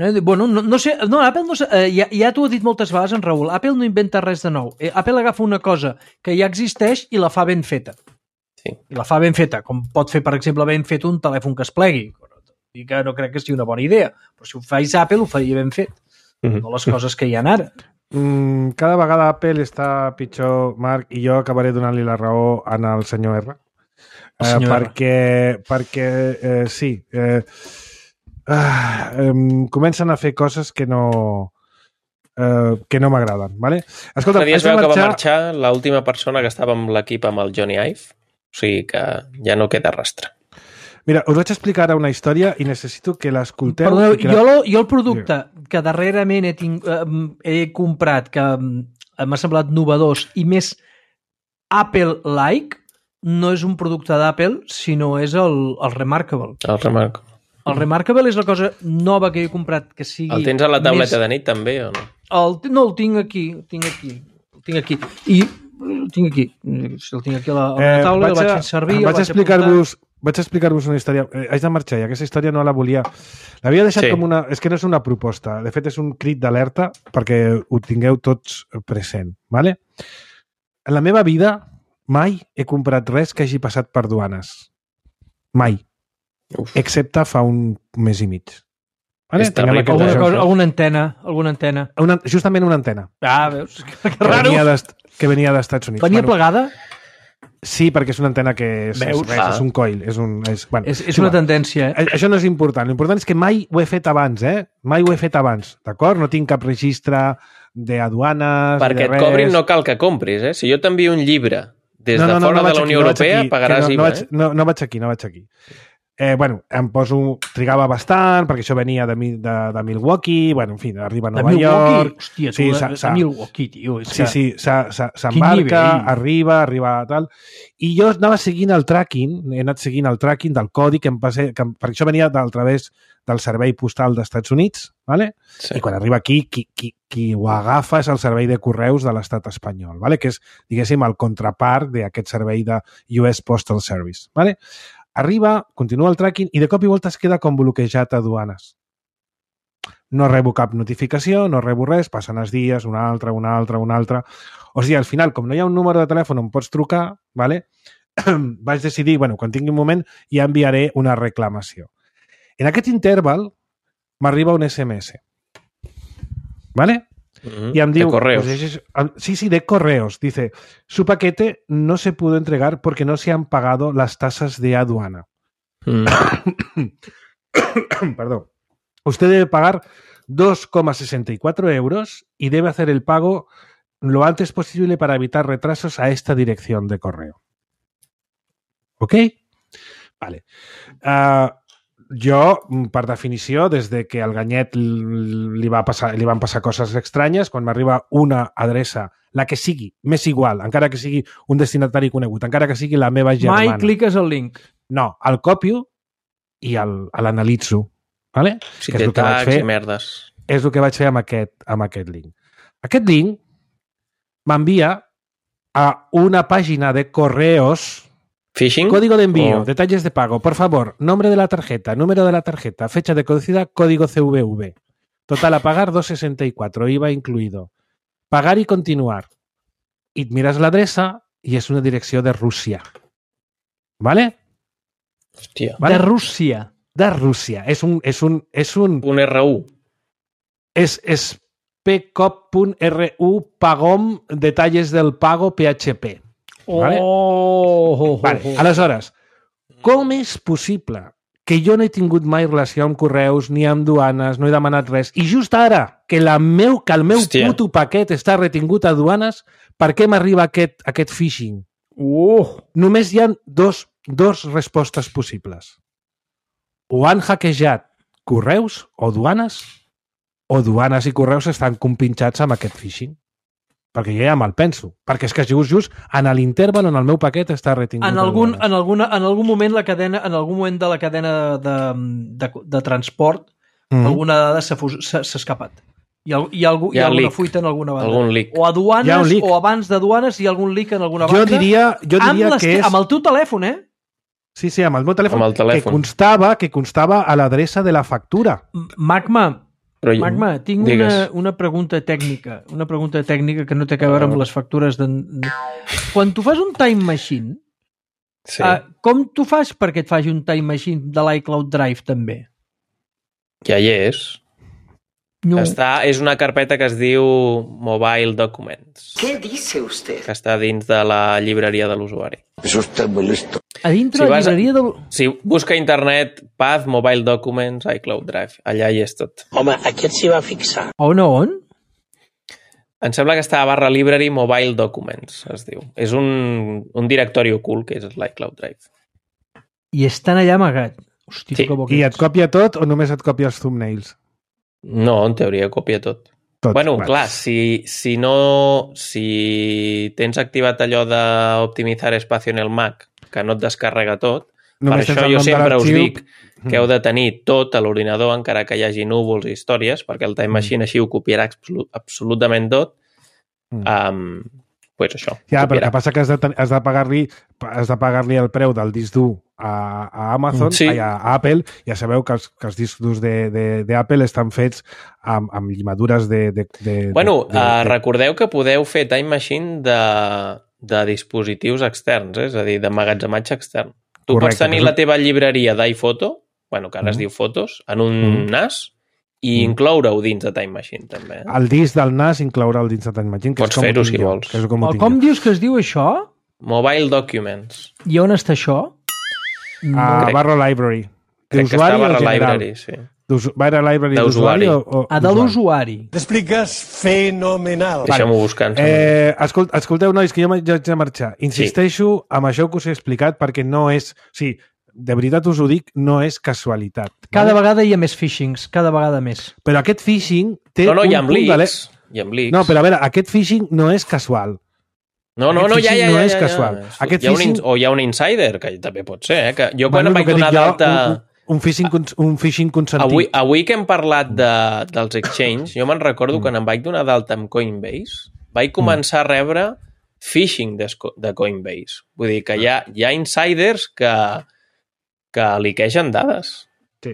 Eh, bueno, no, no sé, no, Apple no sé, eh, ja, ja t'ho he dit moltes vegades en Raül, Apple no inventa res de nou. Eh, Apple agafa una cosa que ja existeix i la fa ben feta. Sí. I la fa ben feta, com pot fer, per exemple, ben fet un telèfon que es plegui. I que no crec que sigui una bona idea, però si ho faig Apple ho faria ben fet. Mm-hmm. No les coses que hi ha ara. Mm, cada vegada Apple està pitjor, Marc, i jo acabaré donant-li la raó en el senyor R. El senyor eh, perquè, R. perquè eh, sí, eh, eh, comencen a fer coses que no eh, que no m'agraden, ¿vale? Escolta, es veu marxar... que va marxar l'última persona que estava amb l'equip amb el Johnny Ive, o sigui que ja no queda rastre. Mira, us vaig explicar ara una història i necessito que l'escolteu. Perdoneu, que jo, lo, jo el producte que darrerament he, tinc, eh, he comprat, que m'ha semblat novedós i més Apple-like, no és un producte d'Apple, sinó és el, el Remarkable. El Remarkable. El Remarkable és la cosa nova que he comprat que sigui... El tens a la tauleta més... de nit també o no? El, no, el tinc aquí, el tinc aquí, el tinc aquí. I el tinc aquí, el tinc aquí a la, a la taula, eh, el vaig fer servir, vaig explicar-vos vaig explicar-vos una història. Eh, haig de marxar i aquesta història no la volia... L'havia deixat sí. com una... És que no és una proposta, de fet és un crit d'alerta perquè ho tingueu tots present, ¿vale? En la meva vida mai he comprat res que hagi passat per duanes. Mai. Uf. Excepte fa un mes i mig. Vale? Alguna, cosa, alguna antena, alguna antena. Una, justament una antena. Ah, veus? Que, que raro. Venia que venia d'Estats Units. Venia bueno, plegada? Sí, perquè és una antena que és, és, res, ah. és un coil. És, un, és, bueno, és, és una tendència. Eh? Això no és important. L'important és que mai ho he fet abans, eh? Mai ho he fet abans, d'acord? No tinc cap registre d'aduanes, perquè de res. Et cobrin no cal que compris, eh? Si jo t'envio un llibre des no, no, de fora no, no de la Unió aquí, Europea, no pagaràs no, I V A, no, vaig, eh? No, no vaig aquí, no vaig aquí. Eh, bueno, em poso... Trigava bastant, perquè això venia de, de, de Milwaukee, bueno, en fi, arriba a Nova de York... Hòstia, tu, sí, de, de Milwaukee, tio. Sí, sí, s'embarca, arriba, arriba, tal... I jo anava seguint el tracking, he anat seguint el tracking del codi que em passé... Que, perquè això venia del través del servei postal d'Estats Units, ¿vale? Sí. I quan arriba aquí, qui, qui, qui ho agafa és el servei de correus de l'estat espanyol, ¿vale? Que és, diguéssim, el contrapart d'aquest servei de U S Postal Service, ¿vale? Arriba, continua el tracking i de cop i volta es queda com bloquejat a duanes. No rebo cap notificació, no rebo res, passen els dies, una altra, una altra, una altra... O sigui, al final, com no hi ha un número de telèfon on pots trucar, ¿vale? vaig decidir, bueno, quan tingui un moment ja enviaré una reclamació. En aquest interval m'arriba un S M S. ¿Vale? Mm-hmm. Y em diu, de correos. Pues, sí, sí, de correos. Dice, su paquete no se pudo entregar porque no se han pagado las tasas de aduana. Mm. Perdón. Usted debe pagar dos coma sesenta y cuatro euros y debe hacer el pago lo antes posible para evitar retrasos a esta dirección de correo. ¿Ok? Vale. Uh, jo, per definició, des de que al Ganyet li, va passar, li van passar coses estranyes, quan m'arriba una adreça, la que sigui, m'és igual, encara que sigui un destinatari conegut, encara que sigui la meva germana. Mai cliques el link. No, el copio i l'analitzo. Vale? Si té tags i merdes. És el que vaig fer amb aquest, amb aquest link. Aquest link m'envia a una pàgina de correos. ¿Phishing? Código de envío, oh. detalles de pago, por favor, nombre de la tarjeta, número de la tarjeta, fecha de caducidad, código C V V. Total a pagar dos sesenta y cuatro, I V A incluido. Pagar y continuar. Y miras l'adreça i és una direcció de Rússia. ¿Vale? Hòstia. ¿Vale? De Rússia. De Rússia. És un... És un, és un, un R U. És, és pcop punt R U pagom detalles del pago P H P. Vale? Oh, vale. Aleshores, com és possible que jo no he tingut mai relació amb correus ni amb duanes, no he demanat res, i just ara que, la meu, que el meu Hòstia. puto paquet està retingut a duanes, per què m'arriba aquest, aquest phishing? Uh. Només hi ha dos, dos respostes possibles. O han hackejat correus o duanes, o duanes i correus estan compinxats amb aquest phishing. Perquè jo ja me'l penso. Perquè és que just, just en l'interval on el meu paquet està retingut. En algun, en, alguna, en algun moment la cadena, en algun moment de la cadena de, de, de transport, mm-hmm. alguna dada s'ha escapat. Hi ha, hi ha, algú, hi ha, hi ha alguna leak. fuita en alguna banda. Algun leak. O a duanes, o abans de duanes hi ha algun leak en alguna banda. Jo diria, jo diria amb que és... Amb el teu telèfon, eh? Sí, sí, amb el meu telèfon. Amb el telèfon. Que constava, que constava a l'adreça de la factura. Magma, Però jo... Magma, tinc una, una pregunta tècnica, una pregunta tècnica que no té a veure amb les factures de... Quan tu fas un time machine, sí. uh, com tu fas perquè et faci un time machine de l'iCloud Drive també? Ja hi és. No. Està, és una carpeta que es diu Mobile Documents. Què dice usted? Que està dins de la llibreria de l'usuari. Eso está muy listo. A dintre si la llibreria de... Si busca a internet Path, Mobile Documents, iCloud Drive. Allà hi és tot. Home, aquí et s'hi va fixar. On, on? Em sembla que està a barra library Mobile Documents, es diu. És un, un directori ocult que és l'iCloud Drive. i estan allà amagat. Hosti, Sí. que bo que I ets. et copia tot o només et copia els thumbnails? No, en teoria copia tot. Tot. Bueno, va. clar, si, si no... Si tens activat allò d'optimitzar espacio en el Mac, que no et descarrega tot, Només per tens això el jo nom de sempre us l'arxiu. dic que heu de tenir tot a l'ordinador, encara que hi hagi núvols i històries, perquè el Time Machine així ho copiarà absolut, absolutament tot. Mm. Um, pues això. Ja, però el copiarà. que passa que has de, ten- has de pagar-li has de pagar-li el preu del disc dur a, a Amazon, Sí. ai, a, a Apple. Ja sabeu que els, que els discs durs de- de- d'Apple estan fets amb, amb llimadures de... de, de Bueno, de, de, uh, de, recordeu que podeu fer Time Machine de, de dispositius externs, eh? És a dir, d'emmagatzematge extern. Tu Correcte, pots tenir però- la teva llibreria d'iPhoto, bueno, que ara es Mm. diu Fotos, en un Mm. N A S, i Mm. incloure-ho dins de Time Machine, també. Eh? el disc del N A S inclourà el dins de Time Machine, que Pots és com ho fer-ho, tinc si jo, vols. Que és com ho Oh, tinc com jo. dius que es diu això? Mobile Documents. I on està això? A crec- Barra Library. Crec que està D'usuari a o Barra general? Library, sí. D'usu- Barra Library D'usuari. d'usuari o, o Ah, de d'usuari? l'usuari. T'expliques fenomenal. Deixem-ho buscar. Eh, escolt, escolteu, nois, que jo m'haig de marxar. Insisteixo amb això que us he explicat perquè no és... O sigui, de veritat us ho dic, no és casualitat. Cada vale? vegada hi ha més phishings, cada vegada més. Però aquest phishing té No, no, hi ha un punt de... leaks. Hi ha leaks. No, però a veure, aquest phishing no és casual. No, no, Aquest no, ja, phishing ja, no ja, és ja, casual. ja. Aquest Hi ha un phishing- ins- O hi ha un insider, que també pot ser, eh? Que jo quan Bueno, em el vaig que donar dic jo, d'alta... Un, un, phishing, cons- un phishing consentit. Avui, avui que hem parlat de, dels exchange, jo me'n recordo mm. quan em vaig donar d'alta amb Coinbase, vaig començar a rebre phishing de, de Coinbase. Vull dir que hi ha, hi ha insiders que, que liquegen dades. Sí.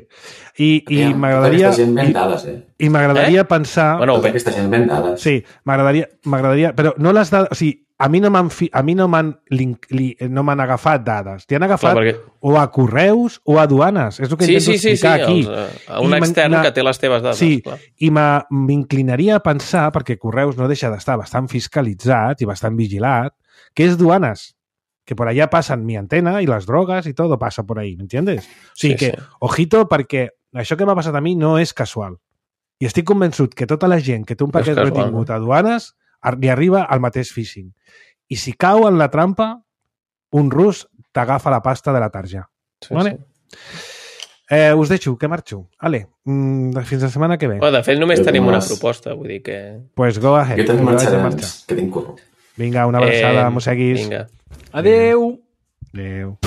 I, i Aviam, m'agradaria... Aquesta gent ven I, dades, eh? i m'agradaria Eh? pensar... Bueno, Tota bé, aquesta gent ven dades. Sí, m'agradaria... m'agradaria però no les dades... O sigui, a mi no m'han fi, a mi no m'han link- li, no m'han agafat dades. T'hi han agafat clar, perquè... o a correus o a aduanes. És el que Sí, intento sí, sí, sí, explicar aquí. els, eh, a un I extern m'ha- que té les teves dades. Sí, clar. i m'ha- m'inclinaria a pensar, perquè Correus no deixa d'estar bastant fiscalitzat i bastant vigilat, que és duanes, que por allá pasan mi antena y las drogas y todo pasa por ahí, ¿entiendes? O sigui Sí, que, sí. ojito, perquè això que m'ha passat a mi no és casual. I estic convençut que tota la gent que té un No és paquet casual, retingut a duanes ar- li arriba al mateix phishing. I si cau en la trampa, un rus t'agafa la pasta de la tarja. Sí, Vale? sí. Eh, us deixo, que marxo. Ale, mm, fins la setmana que ve. Bueno, de fet, només Jo tenim com una vas? proposta, vull dir que... Pues go ahead. Jo també que vaig a marxaré marxar. abans, que tinc curro. Vinga, una abraçada, Eh, mosseguis. Vinga. Adeu! Adéu.